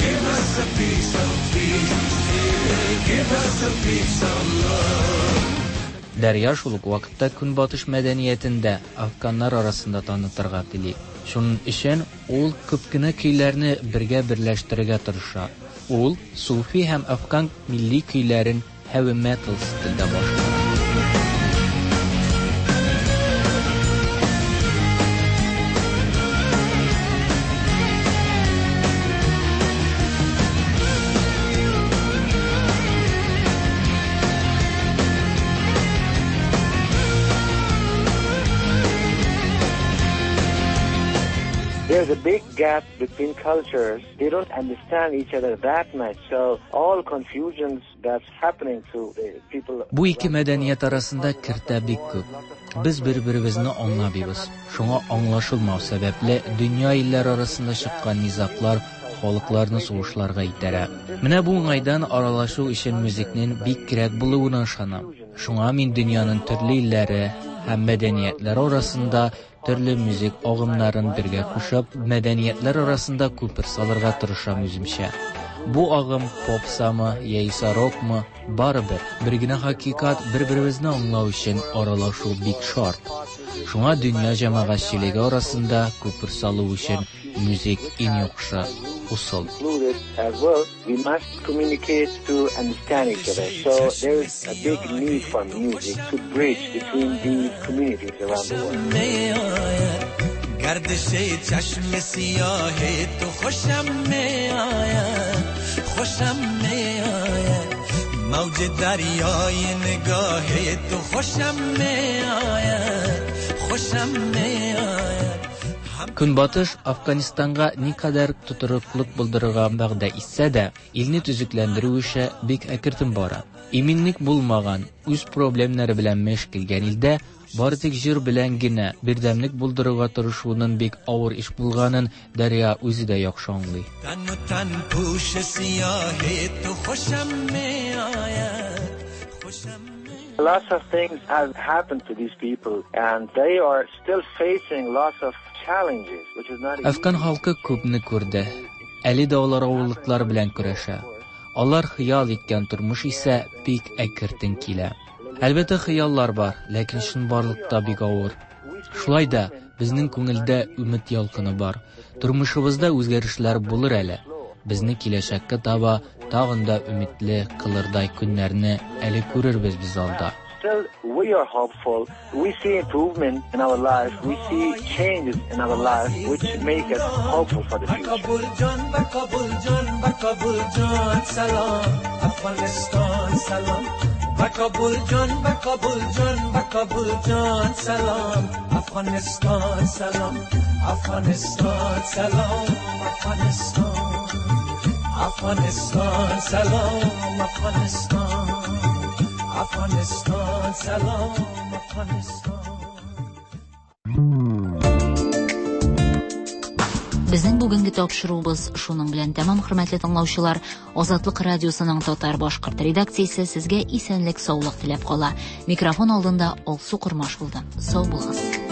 Give us a piece of peace. Give us a piece of love. Дәрья шул ук вакытта Көнбатыш мәдәниятен дә афганнар арасында танытырга тели. Шуның өчен ул күп кенә көйләрне бергә берләштерергә тырыша. Ул суфи һәм афган милли көйләрен heavy metal стильдә башкара. There's a big gap between cultures. They don't understand each other that much. So all confusions that's happening to the people. Бу ике мәдәният арасында киртә бик күп. Без бер-беребезне аңламыйбыз. Шуңа аңлашылмау сәбәпле дөнья илләре арасында чыккан низаглар халыкларны сугышларга итәрә. Менә бу уңайдан аралашу өчен музыкның бик кирәк булуына ышанам. Шуңа мин дөньяның төрле илләре һәм мәдәниятләре арасында төрле музык агымнарын бергә кушып, мәдәниятләр арасында күпер салырга тырышам үземчә. Бу агым попсамы, яисә рокмы, барыбер бер генә хакыйкать, бер-беребезне аңлау өчен аралашу бик шарт. Шуңа дөнья җәмәгатьчелеге арасында күпер салу өчен музык иң яхшы усул. As well, we must communicate to understand each other. So there is a big need for music to bridge between these communities around the world. گردش چشم سیاه تو خوشم می آید، خوشم می آید، موج دریای نگاه تو خوشم می آید، خوشم می آید. Көнбатыш Афганистанга никадәр тотрыклык булдырырга вәгъдә итсә дә, илне төзекләндерү эше бик әкертен бара. Иминлек булмаган, үз проблемнары белән мәш килгән илдә бары тик җыр белән генә бердәмлек булдырырга тырышуның бик авыр эш булганын Дәрья үзе дә яхшы аңлый. Lots of things have happened to these people, and they are still facing lots of Әфган халкы күпне күрде. Әле дә алар авырлыклар белән көрәшә. Алар хыял иткән тормыш исә бик әкертен килә. Әлбәттә, хыяллар бар, ләкин чынбарлыкта бик авыр. Шулай да безнең күңелдә өмет ялкыны бар. Тормышыбызда үзгәрешләр булыр әле. Безне киләчәккә таба тагын да өметле кылырдай көннәрне әле күрербез без алда. Still, we are hopeful. We see improvement in our life. We see changes in our life which make us hopeful for the future. Kabul jan, Kabul jan, Kabul jan, salam, Afghanistan, salam. Kabul jan, Kabul jan, Kabul jan, salam, Afghanistan, salam, Afghanistan, salam, Afghanistan, Afghanistan, salam, Afghanistan. Afghanistan, salam, Afghanistan. Безнең бүгенге тапшыруыбыз шуның белән тәмам, хөрмәтле тыңлаучылар. Азатлык радиосының татар-башкорт редакциясе сезгә исәнлек, саулык теләп кала. Микрофон алдында Алсу Кормаш булды. Сау булыгыз.